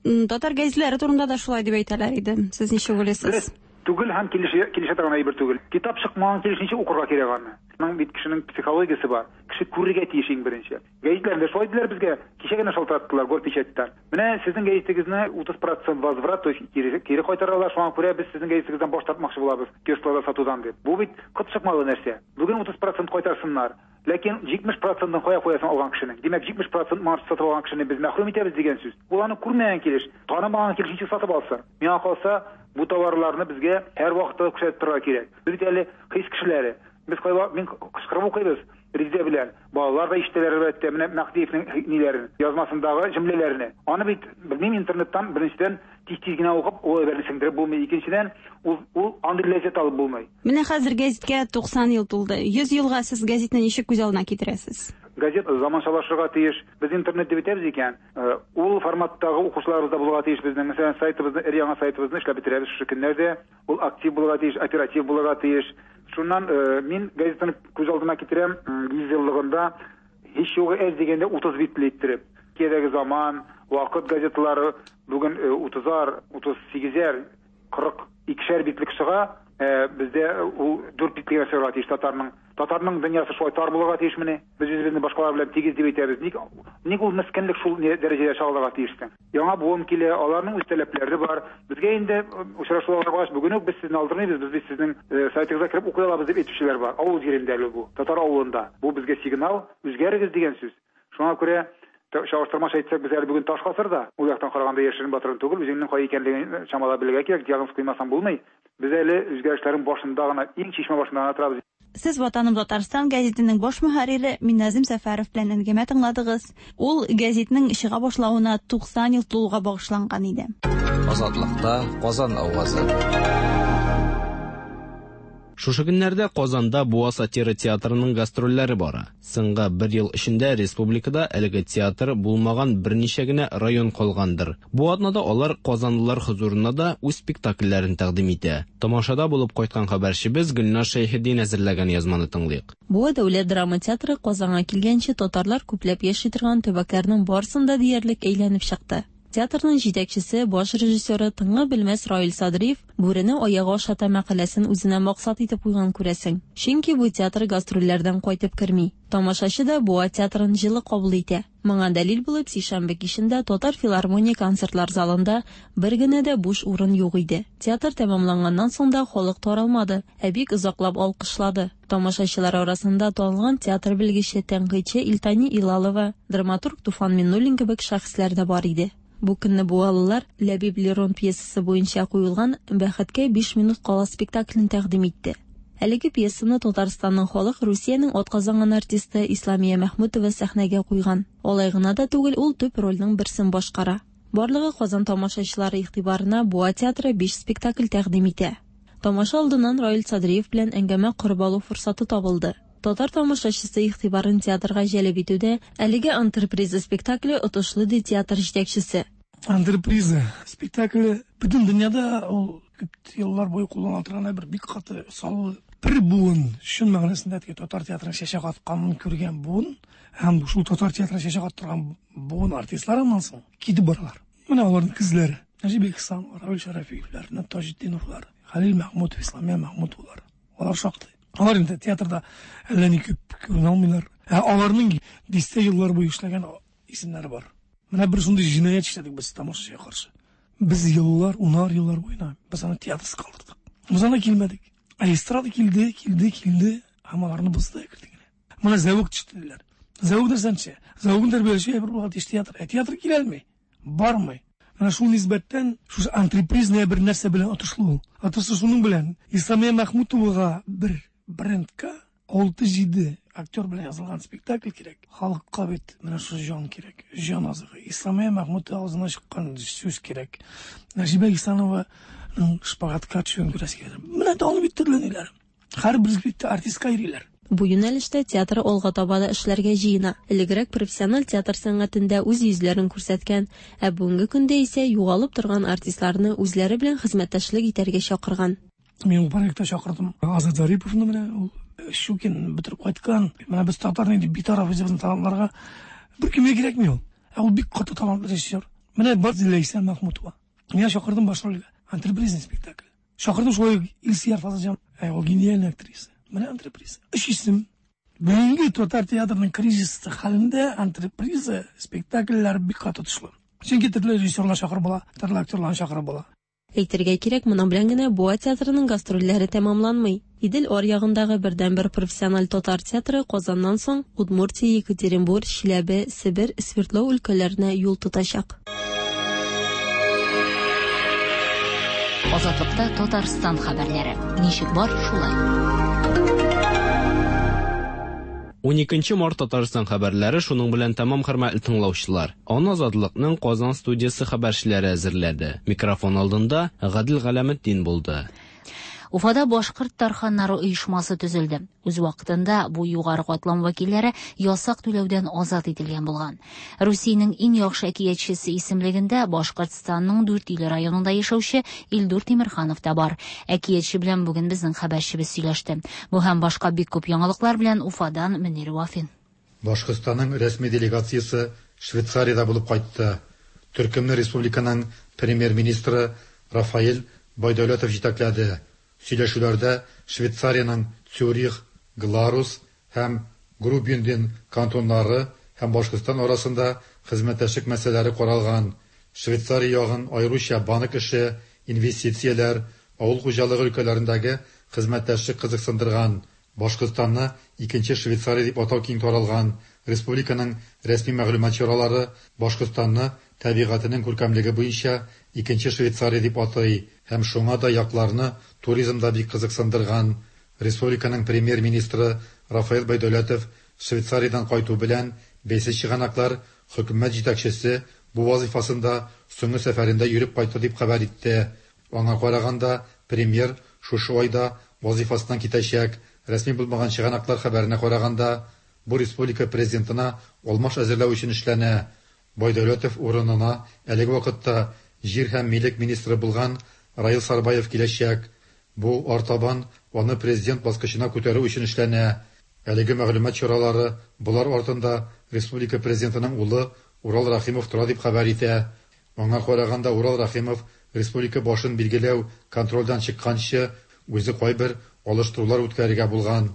Татар гәзитләре турында да шулай дип әйтәләр иде. Сез ничек уйлыйсыз? Дөрес түгел һәм килешә, килешә торган әйбер түгел. Китап чыкмаган килеш ничек укырга кирәк аны? Аның бит кешенең психологиясе бар. Кеше күрергә тиеш иң беренче. Гәзитләрдә шулай диделәр безгә. Кичә генә шалтыраттылар Горпечатьтан. Менә сезнең гәзитегезне 30% возврат, то есть кире, кире кайтаралар, шуңа күрә без сезнең гәзитегездән баш тартмакчы булабыз киоскларда сатудан дип. Бу бит кот чыкмалы нәрсә. Бүген 30% кайтарсыннар. Ләкин 70 процентын кая куясың алган кешенең? Димәк, 70 процент моңарчы сатып алган кешене без мәхрүм итәбез дигән сүз. Ул аны күрмәгән килеш, танымаган килеш ничек сатып алсын? Миңа калса, бу товарларны безгә һәрвакытта да күрсәтеп торырга кирәк. Без бит әле хис кешеләре. Без кайвакыт мин кычкырып укыйбыз Резидә белән. Балалар да ишетәләр әлбәттә, менә Мәһдиевнең ниләрен, язмасындагы җөмләләрне. Аны бит, белмим, интернеттан беренчедән тиз-тиз генә укып, ул әйберне сеңдереп булмый. Икенчедән, ул, ул андый ләззәт алып булмый. Менә хәзер гәзиткә 90 ел тулды. 100 елга сез гәзитне ничек күз алдына китерәсез? Газет заманчалашырга тиеш. Без интернет дип әйтәбез икән, ул форматтагы укучыларыбыз да булырга тиеш безнең. Мәсәлән, сайтыбызны, өр-яңа сайтыбызны эшләп бетерәбез шушы көннәрдә. Ул актив булырга тиеш, оператив булырга тиеш. Шуннан мин газетаны күз алдына китерәм, 100 еллыгында һич югы әз дигәндә 30 битле иттереп. Киядәге Заман, Вакыт газеталары бүген 30-ар, 38-әр, 42-шәр битлек чыга, ә бездә ул 4 битлек генә чыгарга тиеш татарның. Татарның дөньясы шулай тар булырга тиешмени? Без үзебезне башкалар белән тигез дип әйтәбез. Ник, ник ул мескенлек шул дәрәҗәдә чагылырга тиеш соң? Яңа буын килә, аларның үз таләпләре бар. Безгә инде очрашуларга баргач, бүген үк без сезне алдырмыйбыз, без бит сезнең сайтыгызга кереп укый алабыз дип әйтүчеләр бар. Авыл җирендә әле бу, татар авылында. Бу безгә сигнал, үзгәрегез дигән сүз. Шуңа күрә чагыштырмача әйтсәк, без әле бүген таш гасырда. Ул яктан караганда яшерен батырын түгел, үзеңнең кай икәнлеген чамалап белергә кирәк, диагноз куймасаң булмый. Без әле үзгәрешләрнең башында гына, иң чишмә башында гына торабыз. Сез Ватаным Татарстан гәзитенең баш мөхәррире Минназим Сәфәров белән әңгәмә тыңладыгыз. Ул гәзитнең чыга башлавына 90 ел тулуга багышланган иде. Азатлыкта Казан авазы. Шушы көннәрдә Казанда Буа сатира театрының гастрольләре бара. Соңгы бер ел эчендә республикада әлеге театр булмаган берничә генә район калгандыр. Бу атнада алар казанлылар хозурына да үз спектакльләрен тәкъдим итә. Тамашада булып кайткан хәбәрчебез Гөлназ Шәйхетдин әзерләгән язманы тыңлыйк. Буа дәүләт драма театры Казанга килгәнче татарлар күпләп яши торган төбәкләрнең барысын да диярлек әйләнеп чыкты. Театрның җитәкчесе, баш режиссеры тынгы белмәс Раил Садриев Бүрене аягы ашата мәкаләсен үзенә максат итеп куйган, күрәсең. Чөнки бу театр гастрольләрдән кайтып керми. Тамашачы да Буа театрын җылы кабул итә. Моңа дәлил булып сишәмбе кичендә Татар филармония концертлар залында бер генә дә буш урын юк иде. Театр тәмамланганнан соң да халык таралмады, ә бик озаклап алкышлады. Тамашачылар арасында танылган театр белгече, тәнкыйтьче Илтани Илалова, драматург Туфан Миннуллин кебек шәхесләр дә бар иде. Бу көнне буалылар Ләбиб Лерон пьесасы буенча куелган Бәхеткә биш минут кала спектаклен тәкъдим итте. Әлеге пьесаны Татарстанның халык, Русиянең атказанган артисты Исламия Мәхмүтова сәхнәгә куйган. Алай гына да түгел, ул төп рольнең берсен башкара. Барлыгы Казан тамашачылары игътибарына Буа театры биш спектакль тәкъдим итә. Тамаша алдыннан Раил Садриев белән әңгәмә корып алу форсаты табылды. Татар тамашачысы игътибарын театрга җәлеп итүдә әлеге антреприза спектакле отышлы, ди театр җитәкчесе. Антреприза спектакле бөтен дөньяда ул күп еллар буе кулланыла торган әйбер, бик каты саллы. Бер буын, чын мәгънәсендә теге татар театрының чәчәк атканын күргән буын һәм шул татар театрының чәчәк аттырган буын артистлары аннан соң китеп баралар. Менә аларның кызлары. Нәҗип Ихсанов, Равил Шәрәфиевләр, Таҗетдиновлар, Хәлил Мәхмүтов, Исламия Мәхмүтовлар. Алар шактый. Алар инде театрда әллә ни күп күренә алмыйлар. Ә аларның дистә еллар буе эшләгән исемнәре бар. Менә бер шундый җинаять эшләдек без тамашачыга каршы. Без еллар, унар еллар буена без аны театрсыз калдырдык. Без анда килмәдек. Ә эстрада килде, килде, килде, һәм аларны бозды әкрен генә. Менә зәвык төште диләр. Зәвык нәрсәнче? Зәвыкны тәрбияләүче әйбер булырга тиеш театр. Ә театр килә алмый, бармый. Менә шул нисбәттән шушы антрепризная бер нәрсә белән отышлы ул. Отышлы шуның белән Исламия Мәхмүтовага бер брендка 6-7 актер белән язылган спектакль кирәк. Халыкка бит менә шушы җан кирәк, җан азыгы. Исламия Мәхмүтова авызыннан чыккан сүз кирәк. Нәҗибә Исанованың шпагатка төшүен күрәсе килә. Менә тагын бит төрле ниләр. Һәрбер бит артистка йөриләр. Бу юнәлештә театр алга таба да эшләргә җыена. Элегрәк профессиональ театр сәнгатендә үз йөзләрен күрсәткән, ә бүгенге көндә исә югалып торган артистларны үзләре белән хезмәттәшлек итәргә чакырган. Мин ул проектта чакырдым Азат Зариповны, менә ул Щукин бетереп кайткан. Менә без татар инде битараф үзебезнең талантларга. Бер кемгә кирәкми ул. Ә ул бик каты талантлы режиссер. Менә бар Ләйсән Мәхмүтова. Мин чакырдым баш рольгә. Антрепризный спектакль. Чакырдым шулай ук Илсөяр Фазылҗан. Ә ул гениальный актриса. Менә антреприза. Өч исем. Бүгенге татар театрының кризисы хәлендә антреприза спектакльләр бик каты отышлы. Чөнки төрле режиссерлар чакырып була, төрле актерларны чакырып була. Әйтергә кирәк, моның белән генә Буа театрының гастрольләре тәмамланмый. Идел аръягындагы бердәнбер профессиональ татар театры Казаннан соң Удмуртия, Екатеринбур, Чиләбе, Себер, Свердлау өлкәләренә юл тотачак. Азатлыкта Татарстан хәбәрләре. Ничек бар, шулай. 12 март Татарстан хәбәрләре шуның белән тәмам, хөрмәтле тыңлаучылар. Аны Азатлыкның Казан студиясе хәбәрчеләре әзерләде. Микрофон алдында Гадел Галәметдин булды. Уфада башкорт тарханнары оешмасы төзелде. Үз вакытында бу югары катлам вәкилләре ясак түләүдән азат ителгән булган. Русиянең иң яхшы әкиятчесе исемлегендә Башкортстанның Дүртөйле районында яшәүче Илдур Тимерханов та бар. Әкиятче белән бүген безнең хәбәрчебез сөйләште. Бу һәм башка бик күп яңалыклар белән Уфадан Мөнир Вафин. Башкортстанның рәсми делегациясе Швейцариядә булып кайтты. Төркемне республиканың премьер-министры Рафаэль Байдәүләтов җитәкләде. Сөйләшүләрдә Швейцариянең Цюрих, Гларус һәм Грубюнден кантоннары һәм Башкортстан арасында хезмәттәшлек мәсьәләләре каралган. Швейцария ягын аеруча банк эше, инвестицияләр, авыл хуҗалыгы өлкәләрендәге хезмәттәшлек кызыксындырган. Башкортстанны икенче Швейцария дип атау киң таралган. Республиканың рәсми мәгълүмат чаралары Башкортстанны табигатенең күркәмлеге буенча икенче Швейцария дип атый һәм шуңа да якларны туризм да бик кызыксындырган. Республиканың премьер-министры Рафаэль Байдәүләтов Швейцариядән кайту белән бәйсез чыганаклар хөкүмәт җитәкчесе бу вазифасында соңгы сәфәрендә йөреп кайтты дип хәбәр итте. Аңа караганда, премьер шушы айда вазифасыннан китәчәк. Рәсми булмаган чыганаклар хәбәренә караганда, бу республика президентына алмаш әзерләү өчен эшләнә. Байдәүләтов урынына әлеге вакытта җир һәм милек министры булган Раил Сарбаев киләчәк. Бу артабан аны президент баскычына күтәрү өчен эшләнә. Әлеге мәгълүмат чаралары болар артында республика президентының улы Урал Рахимов тора дип хәбәр итә. Аңа караганда, Урал Рахимов республика башын билгеләү контрольдән чыкканчы үзе кайбер алыштырулар үткәрергә булган.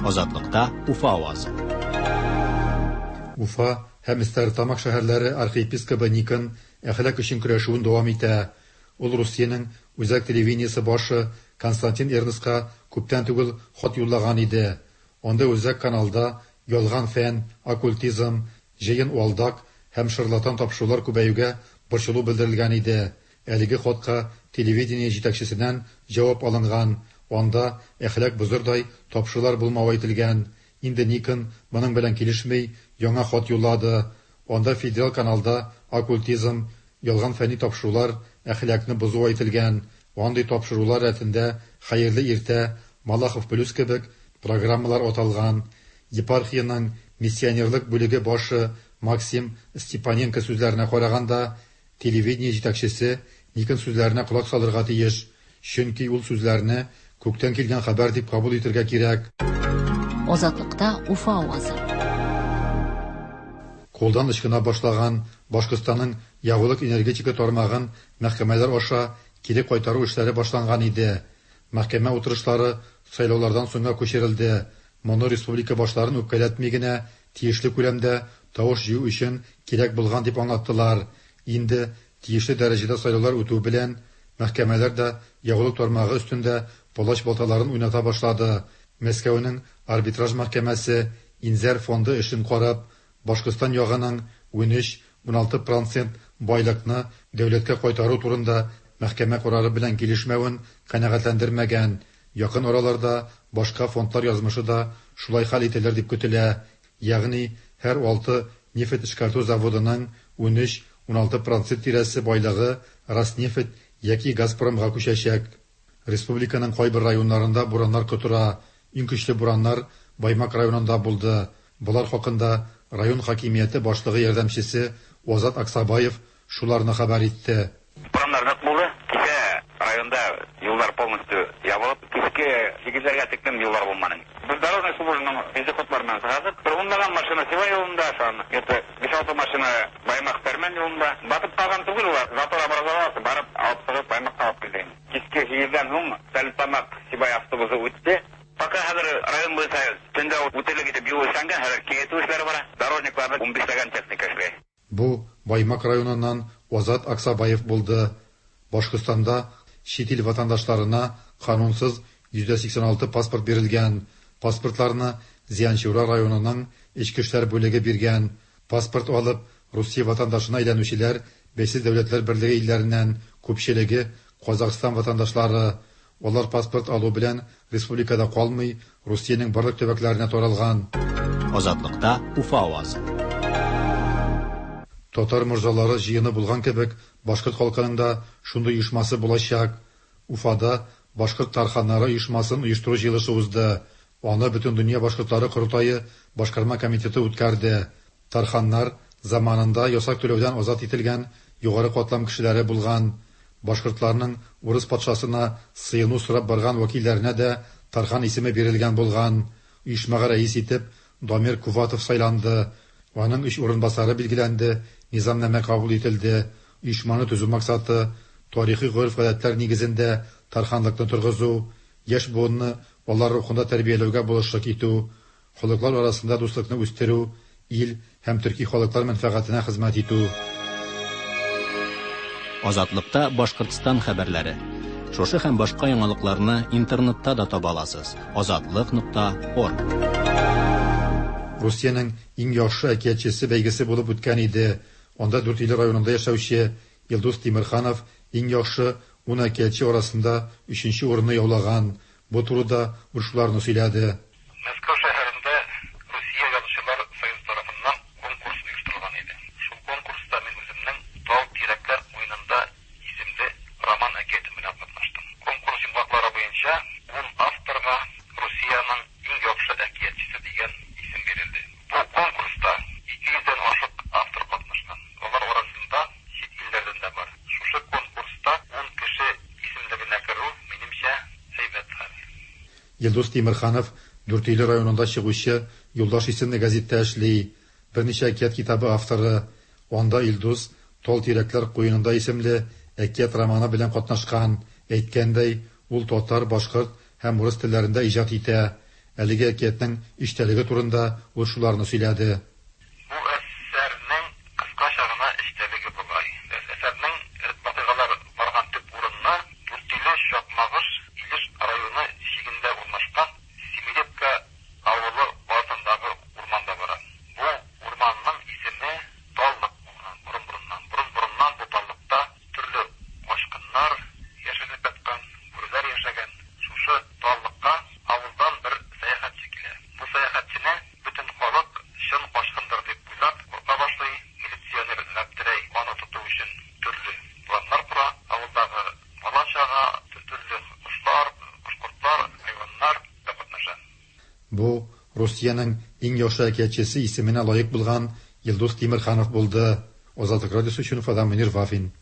Азатлыкта Уфа авазы. Уфа һәм Стәрлетамак шәһәрләре архиепискобы Никон әхлак өчен көрәшүен дәвам итә. Ул Русиянең үзәк телевидениесе башы Константин Эрнстка күптән түгел хат юллаган иде. Анда үзәк каналда ялган фән, оккультизм, җыен алдак һәм шарлатан тапшырулар күбәюгә борчылу белдерелгән иде. Әлеге хатка телевидение җитәкчесеннән җавап алынган. Анда әхлак бозырдай тапшырулар булмавы әйтелгән. Инде Никон моның белән килешми, яңа хат юллады. Анда федераль каналда оккультизм, ялган фәнни тапшырулар әхлакны бозу әйтелгән. Андый тапшырулар рәтендә Хәерле иртә, Малахов плюс кебек программалар аталган. Епархиянең миссионерлык бүлеге башы Максим Степаненко сүзләренә караганда, телевидение җитәкчесе Никон сүзләренә колак салырга тиеш, чөнки ул сүзләрне күктән килгән хәбәр дип кабул итергә кирәк. Азатлыкта Уфа авазы. Кулдан ычкына башлаган Башкортстанның ягулык энергетика тармагын мәхкәмәләр аша кире кайтару эшләре башланган иде. Мәхкәмә утырышлары сайлаулардан соңга күчерелде. Моны республика башларын үпкәләтми генә тиешле күләмдә тавыш җыю өчен кирәк булган дип аңлаттылар. Инде тиешле дәрәҗәдә сайлаулар үтү белән мәхкәмәләр дә ягулык тармагы өстендә палач балталарын уйната башлады. Мәскәүнең арбитраж мәхкәмәсе Инзәр фонды эшен карап, Башкортстан ягының 13-16 процент байлыкны дәүләткә кайтару турында мәхкәмә карары белән килешмәвен канәгатьләндермәгән. Якын араларда башка фондлар язмышы да шулай хәл ителер дип көтелә. Ягъни һәр алты нефть эшкәртү заводының 13-16 процент тирәсе байлыгы Роснефть яки Газпромга күчәчәк. Республиканың кайбер районнарында бураннар котыра. Иң көчле бураннар Баймак районында булды. Болар хакында район хакимияте башлыгы ярдәмчесе Азат Аксабаев шуларны хәбәр итте. Бураннар нык булды. Кичә районда юллар полностью ябылып, кичке 8-ләргә тиклем юллар булмады. Без дорожный службаның вездеходлар белән чыгардык. Бер унлаган машина Сибай юлында, шуны где-то 5-6 машина Баймак Тәрмән юлында. Батып калган түгел улар, затор образовался, барып алып чыгып Баймакка алып килдек. Кичке 8-дән һуң Стәрлетамак Сибай автобусы үтте. Пока хәзер район буенча төндә үтәлек итеп юл эшләнгән, хәзер киңәйтү эшләре бара. Дорожникларда 15ләгән техника эшли. Бу Баймак районыннан Азат Аксабаев булды. Башкортстанда чит ил ватандашларына канунсыз 186 паспорт бирелгән. Паспортларны Зианчура районының Эчке эшләр бүлеге биргән. Паспорт алып, Русия ватандашына әйләнүчеләр Бәйсез дәүләтләр берлеге илләреннән, күпчелеге Казахстан ватандашлары. Алар паспорт алу белән республикада калмый, Русиянең барлык төбәкләренә таралган. Азатлыкта Уфа авазы. Татар морзалары җыены булган кебек, башкорт халкының да шундый оешмасы булачак. Уфада башкорт тарханнары оешмасын оештыру җыелышы узды. Аны Бөтендөнья башкортлары корылтае башкарма комитеты үткәрде. Тарханнар заманында ясак түләүдән азат ителгән югары катлам кешеләре булган. Башкортларның урыс патшасына сыену сорап барган вәкилләренә дә Тархан исеме бирелгән булган. Оешмага рәис итеп Дамир Куватов сайланды. Аның өч урынбасары билгеләнде, низамнамә кабул ителде. Оешманы төзү максаты тарихи гореф-гадәтләр нигезендә тарханлыкны торгызу, яшь буынны алар рухында тәрбияләүгә булышлык итү, халыклар арасында дуслыкны үстерү, ил һәм төрки халыклар мәнфәгатенә хезмәт итү. Азатлыкта Башкортстан хәбәрләре. Шушы һәм башка яңалыкларны интернетта да таба аласыз. Азатлык.орг. Русиянең иң яхшы әкиятчесе бәйгесе булып үткән иде. Анда Дүртөйле районында яшәүче Илдус Тимерханов иң яхшы 10 әкиятче арасында 3нче урынны яулаган. Бу турыда ул шуларны сөйләде. Мәскәү шәһәрендә Русия язучылар союзы тарафыннан конкурс оештырылган иде. Шул конкурста мин үземнең Тал тирәкләр куенында исемле роман әкиятем белән катнаштым. Конкурс йомгаклары буенча 10 авторга Русиянең иң яхшы әкиятчесе дигән исем бирелде. Бу конкурста 200 дән ашык автор катнашкан. Алар арасында чит илләрдән дә бар. Шушы конкурста 10 кеше исемлегенә керү, минемчә, әйбәт хәл. Илдус Тимерханов Дүртөйле районында чыгучы Юлдаш исемле газетта эшли. Берничә әкият китабы авторы. Анда Илдус Тал тирәкләр куенында исемле әкият романы белән катнашкан. Әйткәндәй, ул татар, башкорт һәм урыс телләрендә иҗат итә. Әлеге әкиятнең эчтәлеге турында ул шуларны сөйләде. Бу әсәрнең кыскача гына эчтәлеге болай. Әсәрнең вакыйгалар барган төп урыны Дүртөйле Чакмагыш Илеш районы чигендә урнашкан Семилетка авылы артындагы урманда бара. Бу урманның исеме Таллык булган борын-борыннан. Борын-борыннан бу таллыкта төрле качкыннар яшеренеп яткан, бүреләр яшәгән. Шушы таллыкка авылдан бер сәяхәтче килә. Бу сәяхәтчене бөтен халык чын качкындыр дип уйлап курка башлый. Милиционер Гаптерәй аны тоту өчен төрле планнар кора. Авылдагы бала-чага, төрле кошлар, кош-кортлар, хайваннар да катнаша. Бу Русиянең иң яхшы әкиятчесе исеменә лаек булган Илдус Тимерханов булды. Азатлык радиосы өчен Уфадан Мөнир Вафин.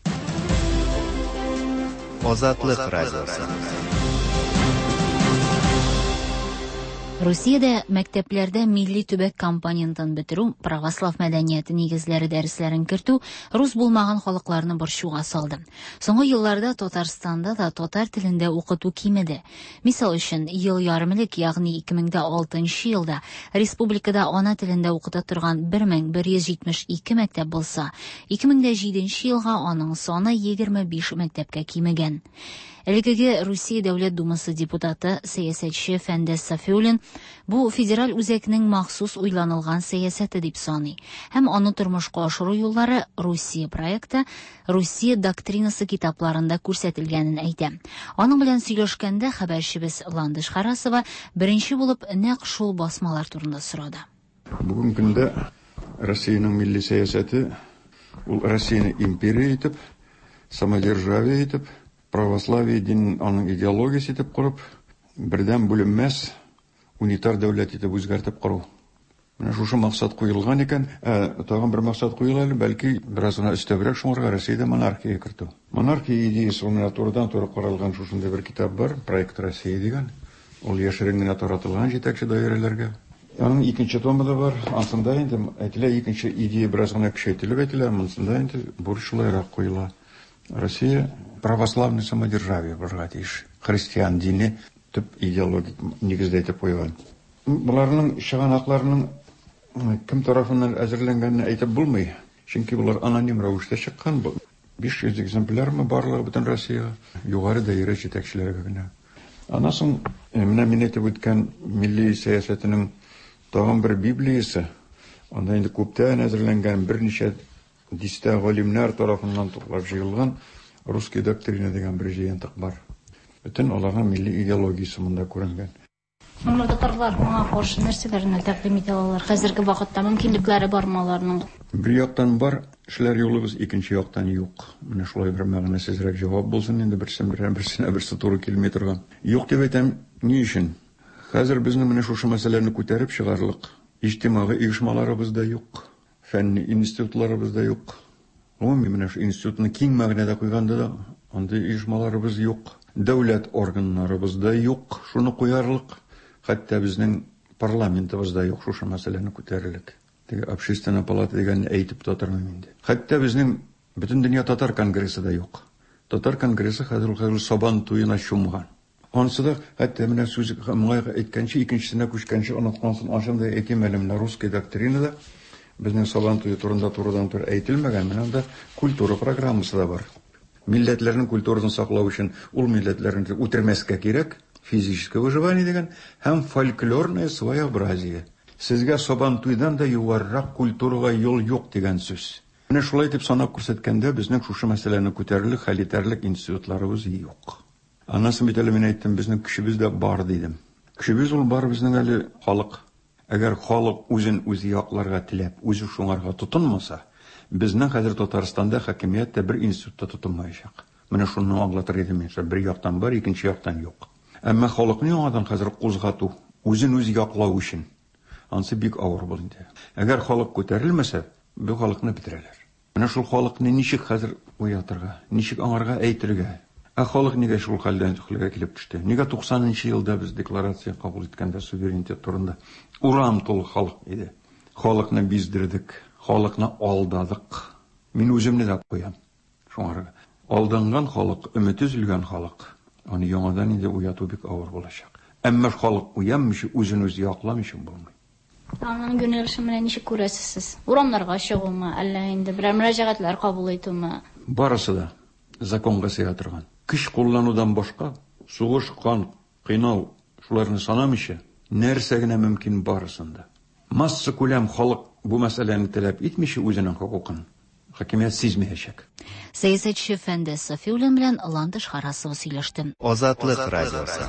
Азатлык радиосы. Русиядә мәктәпләрдә милли төбәк компонентын бетерү, православ мәдәнияте нигезләре дәресләрен кертү рус булмаган халыкларны борчуга салды. Соңгы елларда Татарстанда да татар телендә укыту кимеде. Мисал өчен, ел ярым элек, ягъни 2006 елда республикада ана телендә укыта торган 1172 мәктәп булса, 2007 елга аның саны 25 мәктәпкә кимегән. Элеккеге Русия Дәүләт Думасы депутаты, сәясәтче Фәндәс Сафиуллин бу федераль үзәкнең махсус уйланылган сәясәте дип саный һәм аны тормышка ашыру юллары Русия проекты, Русия доктринасы китапларында күрсәтелгәнен әйтә. Аның белән сөйләшкәндә хәбәрчебез Ландыш Харасова беренче булып нәкъ шул басмалар турында сорады. Бүгенге көндә Россиянең милли сәясәте ул Россияне империя итеп, самодержавие итеп, православие динен аның идеологиясе итеп корып, бердәм бүленмәс унитар дәүләт итеп үзгәртеп кору. Менә шушы максат куелган икән, ә тагын бер максат куела әле, бәлки бераз гына өстәбрәк шуңарга Россиядә монархия кертү. Монархия идеясе ул менә турыдан-туры каралган шушындый бер китап бар, Проект России дигән. Ул яшерен генә таратылган җитәкче даирәләргә. Аның икенче томы да бар. Ансында инде әйтелә, икенче идея бераз гына көчәйтелеп әйтелә, монсында инде бурыч шулайрак куела. Россия православный самодержавие булырга тиеш. Христиан дине төп идеологик нигездә итеп куйган. Боларның чыганакларының кем тарафыннан әзерләнгәнен әйтеп булмый, чөнки болар аноним рәвештә чыккан. 500 экземплярмы барлыгы бөтен Россиягә, югары даирә җитәкчеләргә генә. Аннан соң менә мин әйтеп үткән милли сәясәтенең тагын бер Библиясе, анда инде күптән әзерләнгән берничә дистә галимнәр тарафыннан туплап җыелган Русский доктрина дигән бер җыентык бар. Бөтен аларның милли идеологиясе монда күренгән. Моңа татарлар моңа каршы нәрсәләрне тәкъдим итә алалар? Хәзерге вакытта мөмкинлекләре бармы аларның? Бер яктан бар, эшләр юлыбыз, икенче яктан юк. Менә шулай бер мәгънәсезрәк җавап булсын инде, берсен берәр берсенә берсе туры килми торган. Юк дип әйтәм, ни өчен? Хәзер безнең менә шушы мәсьәләне күтәреп чыгарлык иҗтимагый оешмаларыбыз да юк, фәнни институтларыбыз да юк. Гомумән, менә шу институтны киң мәгънәдә куйганда да андый оешмаларыбыз юк. Дәүләт органнарыбыз да юк, шуны куярлык. Хәтта безнең парламентыбыз да юк шушы мәсьәләне күтәрерлек. Теге общественная палата дигәнне әйтеп тә тормыйм инде. Хәтта безнең Бөтендөнья татар конгрессы да юк. Татар конгрессы хәзер ул хәзер Сабан туена чумган. Анысы да, хәтта менә сүз моңа әйткәнче, икенчесенә күчкәнче оныткансың, ансын да әйтим әле, менә русская доктринада безнең Сабан туе турында турыдан-туры әйтелмәгән, менә анда культура программасы да бар. Милләтләрнең культурасын саклау өчен ул милләтләрне үтермәскә кирәк, физическое выживание дигән, һәм фольклорное своеобразие. Сезгә Сабан туйдан да югарырак культурага юл юк дигән сүз. Менә шулай итеп санап күрсәткәндә, безнең шушы мәсьәләне күтәрерлек, хәл итәрлек институтларыбыз юк. Аннан соң бит әле мин әйттем, безнең көчебез дә бар дидем. Көчебез ул бар безнең әле халык. Әгәр халык үзен үзе якларга теләп, үзе шуңарга тотынмаса, безнең хәзер Татарстанда хакимият тә бер институт та тотынмаячак. Менә шуны аңлатыр идем мин. Бер яктан бар, икенче яктан юк. Әмма халыкны яңадан хәзер кузгату, үзен үзе яклау өчен, ансы бик авыр булыр инде. Әгәр халык күтәрелмәсә, бу халыкны бетерәләр. Менә шул халыкны ничек хәзер уятырга, ничек аңарга әйтергә? Ә халык нигә шул хәлдән хәлгә килеп төште? Нигә 90 елда без декларация кабул иткәндә суверенитет турында урам тулы халык иде? Халыкны биздердек, халыкны алдадык. Мин үземне дә куям шуңарга. Алданган халык, өмете өзелгән халык, аны яңадан инде уяту бик авыр булачак. Әмма халык уянмыйча, үзен үзе якламыйча булмый. Аның юнәлешен менә ничек күрәсез сез? Урамнарга чыгумы, әллә инде берәр мөрәҗәгатьләр кабул итүме? Барысы да законга сыя торган. Көч кулланудан башка, сугыш, кан, кыйнау, шуларны санамыйча, нәрсә генә мөмкин барысын да. Массакүләм халык бу мәсьәләне таләп итмичә үзенең хокукын, хакимият сизмәячәк. Сәясәтче Фәндәс Сафиуллин белән Ландыш Харасова сөйләште. Азатлык радиосы.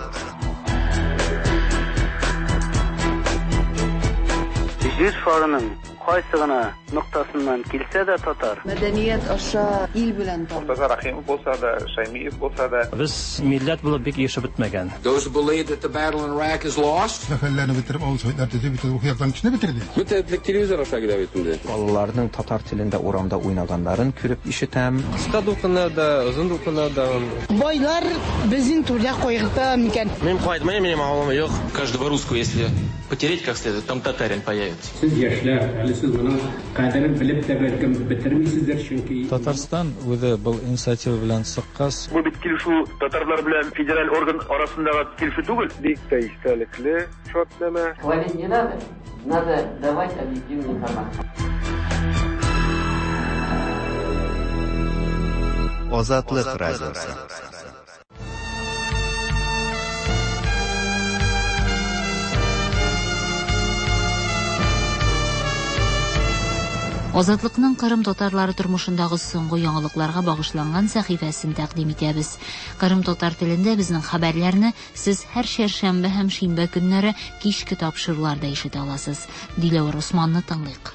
Җир шарының кайсы гына ноктасыннан килсә дә татар. Мәдәният аша ил белән таныш. Мортаза Рәхимов булса да, Шәймиев булса да. Без милләт булып бик ирешеп бетмәгән. Those who believe that the battle in Iraq is lost. Сәфәрләрне бетереп, авыл советлар төзеп, бөтен рухи яктан кешене бетерде. Бөтен телевизор аша килә бит инде. Балаларның татар телендә урамда уйнаганнарын күреп ишетәм. Кыска дулкыннар да, озын дулкыннар да. Байлар безнең түрдә кайгырта микән? Мин кайтмыйм, минем авылым юк. Каждого русского, если потереть как следует, там татарин появится. Сез яшьләр, әле сез моның кадерен белеп тә бәлкем бетермисездер, чөнки Татарстан үзе был инициатива белән чыккач, Бу бит килешү татарлар белән федераль орган арасындагы килешү түгел. Бик тә истәлекле шартнамә. Хвалить не надо, надо давать объективную информацию. Азатлык радиосы. Азатлыкның Кырым татарлары тормышындагы соңгы яңалыкларга багышланган сәхифәсен тәкъдим итәбез. Кырым татар телендә безнең хәбәрләрне сез һәр чәршәмбе һәм шимбә көннәре кичке тапшыруларда ишетә аласыз. Диләвәр Османны тыңлыйк.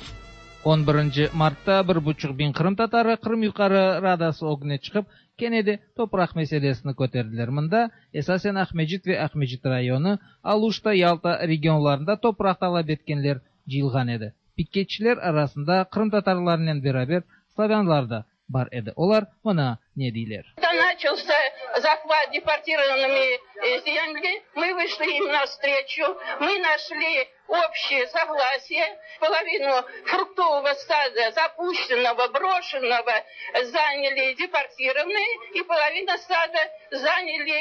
11 martta 1,5 biñ qırımtatarı Qırım Yuqarı Radası ögüne çıqıp, kene de topraq meselesini köterdiler. Mında esasen Aqmescit ve Aqmescit rayonı, Aluşta, Yalta regionlarında topraq talap etkenler cıyılğan edi. Piketçiler arasında qırımtatarlarnen beraber slavânlar da bar edi. Olar mına ne deyler. Когда начался захват депортированными земли, мы вышли им навстречу, мы нашли общее согласие. Половину фруктового сада, запущенного, брошенного, заняли депортированные, и половину сада заняли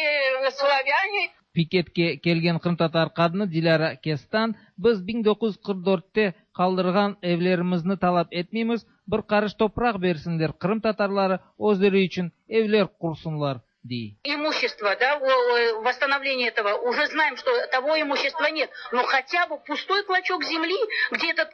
славяне. Piketke kelgen qırımtatar qadını Dilâra Kestan, Biz 1944-te qaldırğan evlerimizni talap etmeymiz, bir qarış topraq bersinler, qırımtatarları özleri içün evler qursunlar, dey. Имущество, да, восстановление этого, уже знаем, что того имущества нет, но хотя бы пустой клочок земли, где этот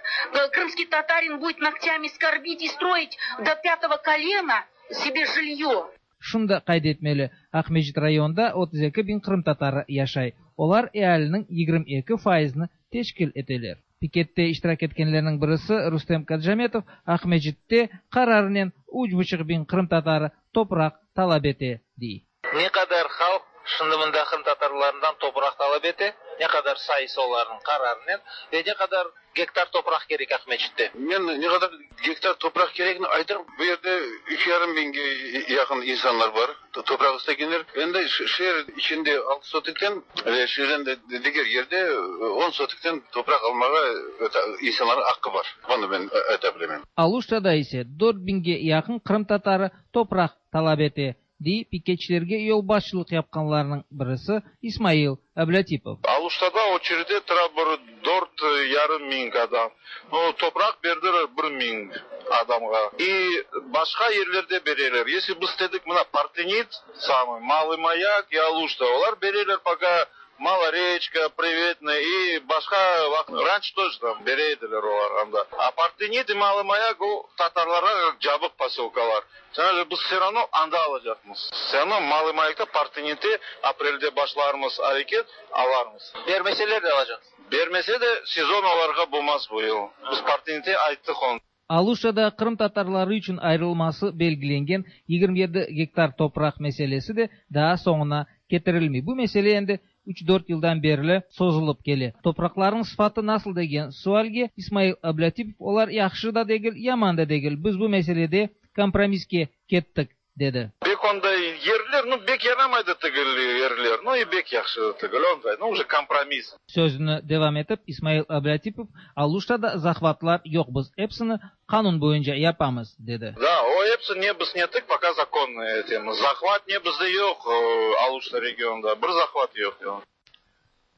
крымский татарин будет ногтями скорбить и строить до пятого колена себе жилье. Şunı da qayd etmeli, Aqmescit rayonında 32 biñ qırımtatarı yaşay, olar ealiniñ 22 fayızını teşkil eteler. Pikette iştirak etkenlerniñ birisi Rustem Kadjametov Aqmescitte qararınen üç buçuq biñ qırımtatarı topraq talap ete, dey. Ne qadar halq şimdi mında qırımtatarlarından topraq talap ete, ne qadar sayısı olarnıñ qararınen ve ne qadar gektar topraq kerek Aqmescitte? Men ne qadar gektar topraq keregini aytırım. Bu yerde üç yarım biñge yaqın insanlar bar, topraq istegenler. Endi şeer içinde altı sotikten ve şeerden diger yerde on sotikten topraq almağa insanlarnıñ aqqı bar. Bunı men ayta bilemen. Aluştada ise dört biñge yaqın qırımtatarı topraq talap ete. Dey piketçilerge yolbaşçılıq yapqanlarnıñ birisi İsmail Ablâtipov. Aluştada oçerede tura bir dört yarım miñ adam. No, topraq berdiler bir miñ adamğa. I başqa yerlerde bereler. Esli biz istedik, mına, Partenit, samıy, Malıy Mayak i Aluşta, olar bereler poka Maloreçka, Privetnoye i başqa, ranşe тоже tam bere ediler olar anda. A Partenit i Malıy Mayak o tatarlarğa cabıq posölkalar. Şoña biz vse ravno anda alacaqmız. Vse ravno Malıy Mayakta, Partenitte aprelde başlarmız areket, alarmız. Bermeseler de alacaqsız? Bermese de, sezon olarğa bolmaz bu yıl. Biz Partenitte ayttıq onı. Aluştada qırımtatarları içün ayırılması belgilengen 27 gektar topraq meselesi de daa soñuna ketirilmey. Bu mesele endi üç-dört yıldan berli sozulıp kele. Topraqlarnıñ sıfatı nasıl degen sualge İsmail Ablâtipov olar yahşı da degil, yaman da degil, biz bu meselede kompromisske kettik, dedi. Bek onday yerler, nu, bek yaramay da tigil yerler, nu, i bek yahşı da tigil, onday, nu, uje kompromiss. Sözüni devam etip, İsmail Ablâtipov, Aluştada zahvatlar yoq, biz epsini qanun boyunca yapamız, dedi. Da, o epsi ne biz nettik, poka zakonnıy etemiz. Zahvat ne bizde yoq, Aluşta regionda, bir zahvat yoq.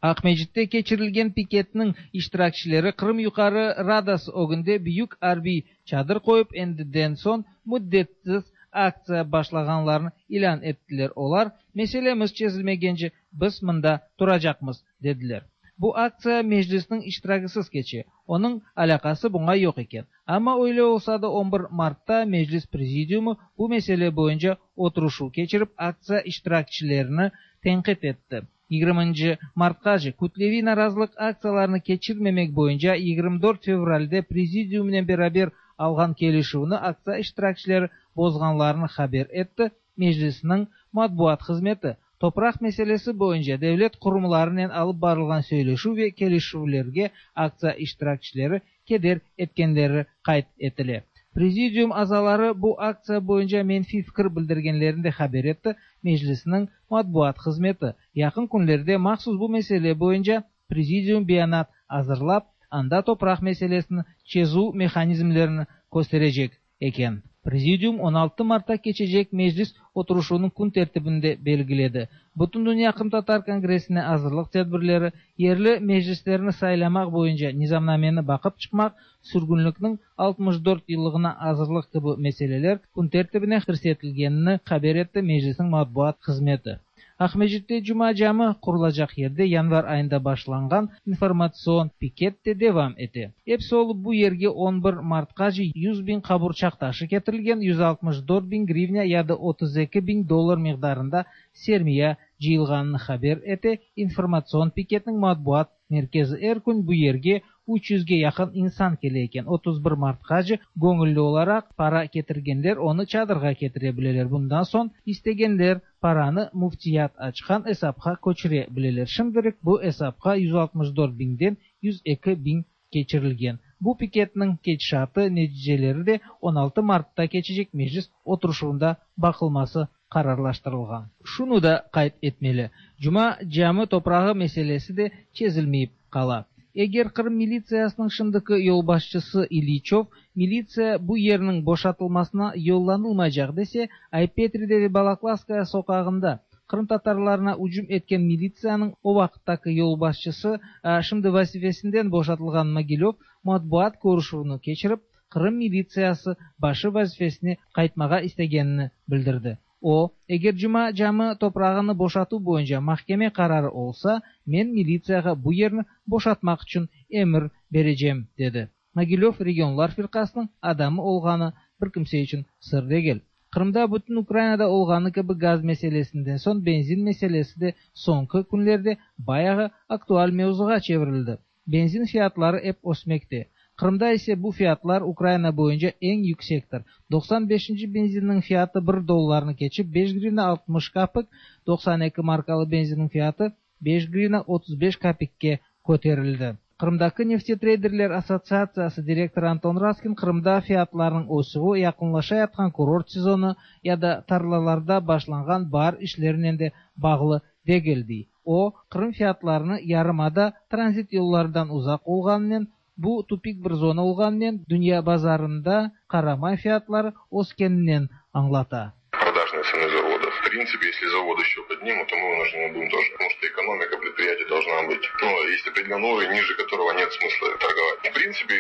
Aqmescitte keçirilgen piketniñ iştirakçileri Qırım Yuqarı Radası ögünde büyük arbiy çadır qoyıp, endiden soñ müddetsiz aktsiya başlağanlarını ilân ettiler. Olar, Meselemiz çezilmegence biz mında turacaqmız, dediler. Bu aktsiya Meclisniñ iştiragisiz keçe, onıñ alâqası buña yoq eken. Amma öyle olsa da on bir martta Meclis prezidiumı bu mesele boyunca oturışuv keçirip, aktsiya iştirakçilerini tenqit etti. Yigirminci martqace kütleviy narazılıq aktsiyalarını keçirmemek boyunca 24 fevralde prezidiumnen beraber alğan kelişüvni aktsiya iştirakçileri bozğanlarını haber etti Meclisniñ matbuat hızmeti. Topraq meselesi boyunca devlet qurumlarınen alıp barılğan söyleşüv ve kelişüvlerge aktsiya iştirakçileri keder etkenleri qayd etile. Prezidium azaları bu aktsiya boyunca menfiy fikir bildirgenlerini de haber etti Meclisniñ matbuat hızmeti. Yaqın künlerde mahsus bu mesele boyunca prezidium beyanat azırlap, anda topraq meselesini çezüv mehanizmlerini kösterecek eken. Prezidium 16 martta keçecek Meclis oturışuvınıñ kün tertibini de belgiledi. Bütündünya qırımtatar kongressine azırlıq tedbirleri, yerli meclislerni saylamaq boyunca nizamnameni baqıp çıqmaq, sürgünlikniñ 64 yıllığına azırlıq kibi meseleler kün tertibine kirsetilgenini haber etti Meclisniñ matbuat hızmeti. Aqmescitte Cuma Camı qurulacaq yerde yanvar ayında başlanğan informatsion piket de devam ete. Episi olıp bu yerge 11 martqace 100 biñ qaburçaq taşı ketirilgen, 164 biñ grivnâ ya da 32 biñ dollar miqdarında sermiya cıyılğanını haber ete informatsion piketniñ matbuat merkezi. Er kün bu yerge 300ge yaqın insan kele eken. 31 martqace göñülli olaraq para ketirgenler onı çadırğa ketire bileler. Bundan soñ istegenler paranı müftiyat açqan esapqa köçüre bileler. Şimdilik bu esapqa 164 biñden 102 biñ keçirilgen. Bu piketniñ ketişatı, neticeleri de 16 martta keçecek Meclis oturışuvında baqılması qararlaştırılğan. Şunı da qayd etmeli, Cuma Cami toprağı meselesi de çezilmeyip qala. Eger Qırım militsiyasınıñ şimdiki yolbaşçısı İlyiçöv, militsiya bu yerniñ boşatılmasına yollanılmaycaq dese, Ay-Petride ve Balaklavskaya soqağında qırımtatarlarına ücüm etken militsiyanıñ o vaqıttaki yolbaşçısı, şimdi vazifesinden boşatılğan Mogilöv matbuat körüşüvini keçirip, Qırım militsiyası başı vazifesine qaytmağa istegenini bildirdi. O, eger Cuma Cami toprağını boşatuv boyunca mahkeme qararı olsa, men militsiyağa bu yerni boşatmaq içün emir berecem, dedi. Mogilöv Regionlar firqasınıñ adamı olğanı bir kimse içün sır degil. Qırımda bütün Ukrainada olğanı kibi gaz meselesinden soñ benzin meselesi de soñki künlerde bayağı aktual mevzuğa çevirildi. Benzin fiyatları ep ösmekte. Qırımda ise bu fiyatlar Ukraina boyunca eñ yüksektir. 95-nci benzinniñ fiyatı bir dollarnı keçip 5 grivna 60 kapik, 92 markalı benzinniñ fiyatı 5 grivna 35 kapikke köterildi. Qırımdaki neftetreyderler assotsiatsiyası direktorı Anton Raskin Qırımda fiyatlarnıñ ösüvi yaqınlaşayatqan kurort sezonı ya da tarlalarda başlanğan baar işlerinen de bağlı degil, dey. O, Qırım fiyatlarını yarımada tranzit yollarından uzaq olğanınen, bu tupik bir zona olğanınen, dünya bazarında qaramay fiyatları öskeninen añlata. Продажные цены заводов. В принципе, если завод еще поднимут, то мы вынуждены будем тоже, потому что экономика предприятия должна быть. Ну, есть определенный уровень, ниже которого нет смысла торговать. В принципе,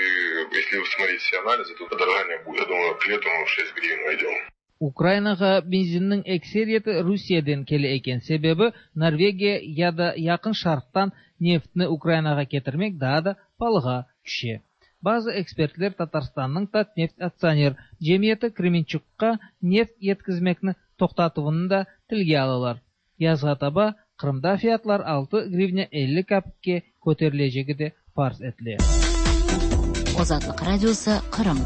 если смотреть все анализы, то подорожание будет. Я думаю, к лету мы в 6 гривен войдем. Ukrainağa benzinniñ ekseriyeti Rusiyeden kele eken, sebebi Norvegiya ya da Yaqın Şarqtan neftni Ukrainağa ketirmek daa da palığa tüşe. Bazı ekspertler Tatarstannıñ Tatneft aktsioner cemiyeti Kremençukqa neft yetkizmekni toqtatuvını da tilge alalar. Yazğa taba Qırımda fiyatlar 6 grivna 50 kapikke köterilecegi de farz etile. Azatlıq Radiosı, Qırım.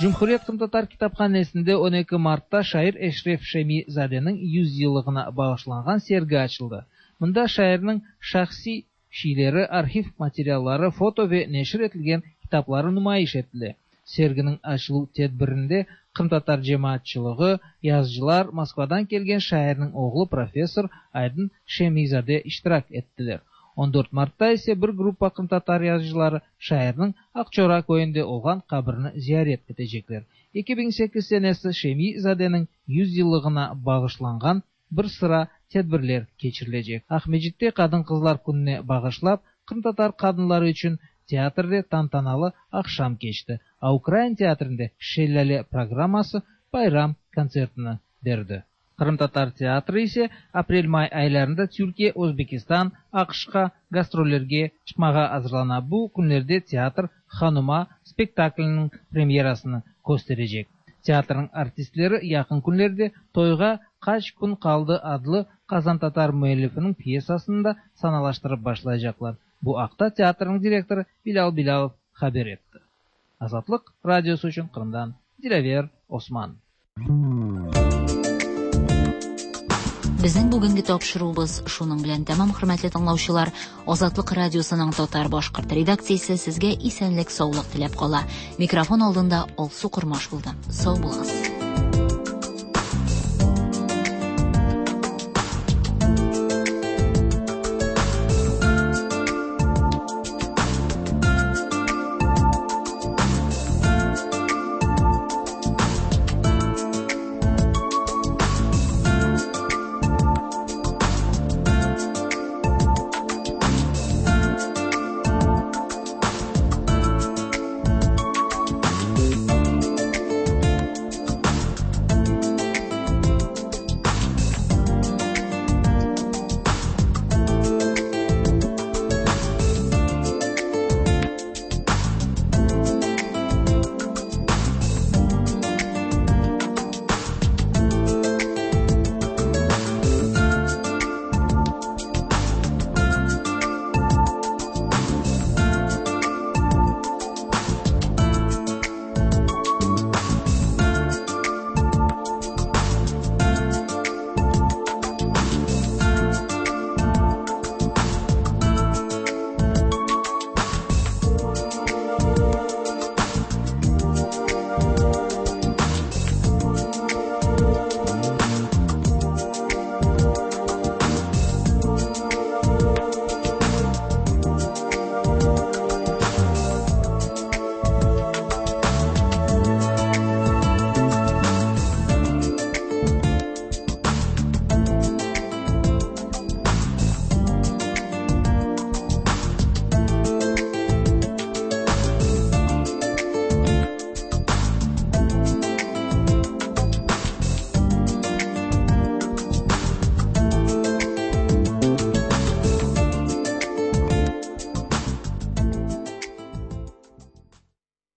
Cumhuriyet qırımtatar kitaphanesinde 12 martta şair Eşref Şemi-zadeniñ 100 yıllığına bağışlanğan sergi açıldı. Mında şairniñ şahsiy şiyleri, arhiv materialları, foto ve neşir etilgen kitapları numayış etile. Serginiñ açıluv tedbirinde qırımtatar cemaatçılığı, yazıcılar, Moskvadan kelgen şairniñ oğlu professor Aydın Şemi-zade iştirak ettiler. 14 martta ise bir gruppa qırımtatar yazıcıları şairniñ Aqçora köyünde olğan qabirini ziyaret etecekler. 2008 senesi Şemi-zadeniñ 100 yıllığına bağışlanğan bir sıra tedbirler keçirilecek. Aqmescitte Qadın-qızlar kününe bağışlap, qırımtatar qadınları içün teatrde tantanalı aqşam keçti, a Ukrain teatrinde Şellâle programması bayram kontsertini berdi. Qırımtatar teatri ise aprel-may aylarında Türkiye, Özbekistan, AQŞqa gastrollerge çıqmağa azırlana. Bu künlerde teatr Hanuma spektakliniñ premyerasını kösterecek. Teatrniñ artistleri yaqın künlerde Toyğa qaç kün qaldı adlı qazantatar müellifiniñ pyesasını da sanalaştırıp başlaycaqlar. Bu aqta teatrniñ direktorı Bilâl Bilâlov haber etti. Azatlıq Radiosı içün Qırımdan Dilâver Osman. Безнең бүгенге тапшыруыбыз шуның белән тәмам, хөрмәтле тыңлаучылар. Азатлык радиосының татар башкорт редакциясе сезгә исәнлек, саулык теләп кала. Микрофон алдында Алсу Кормаш булды. Сау булыгыз.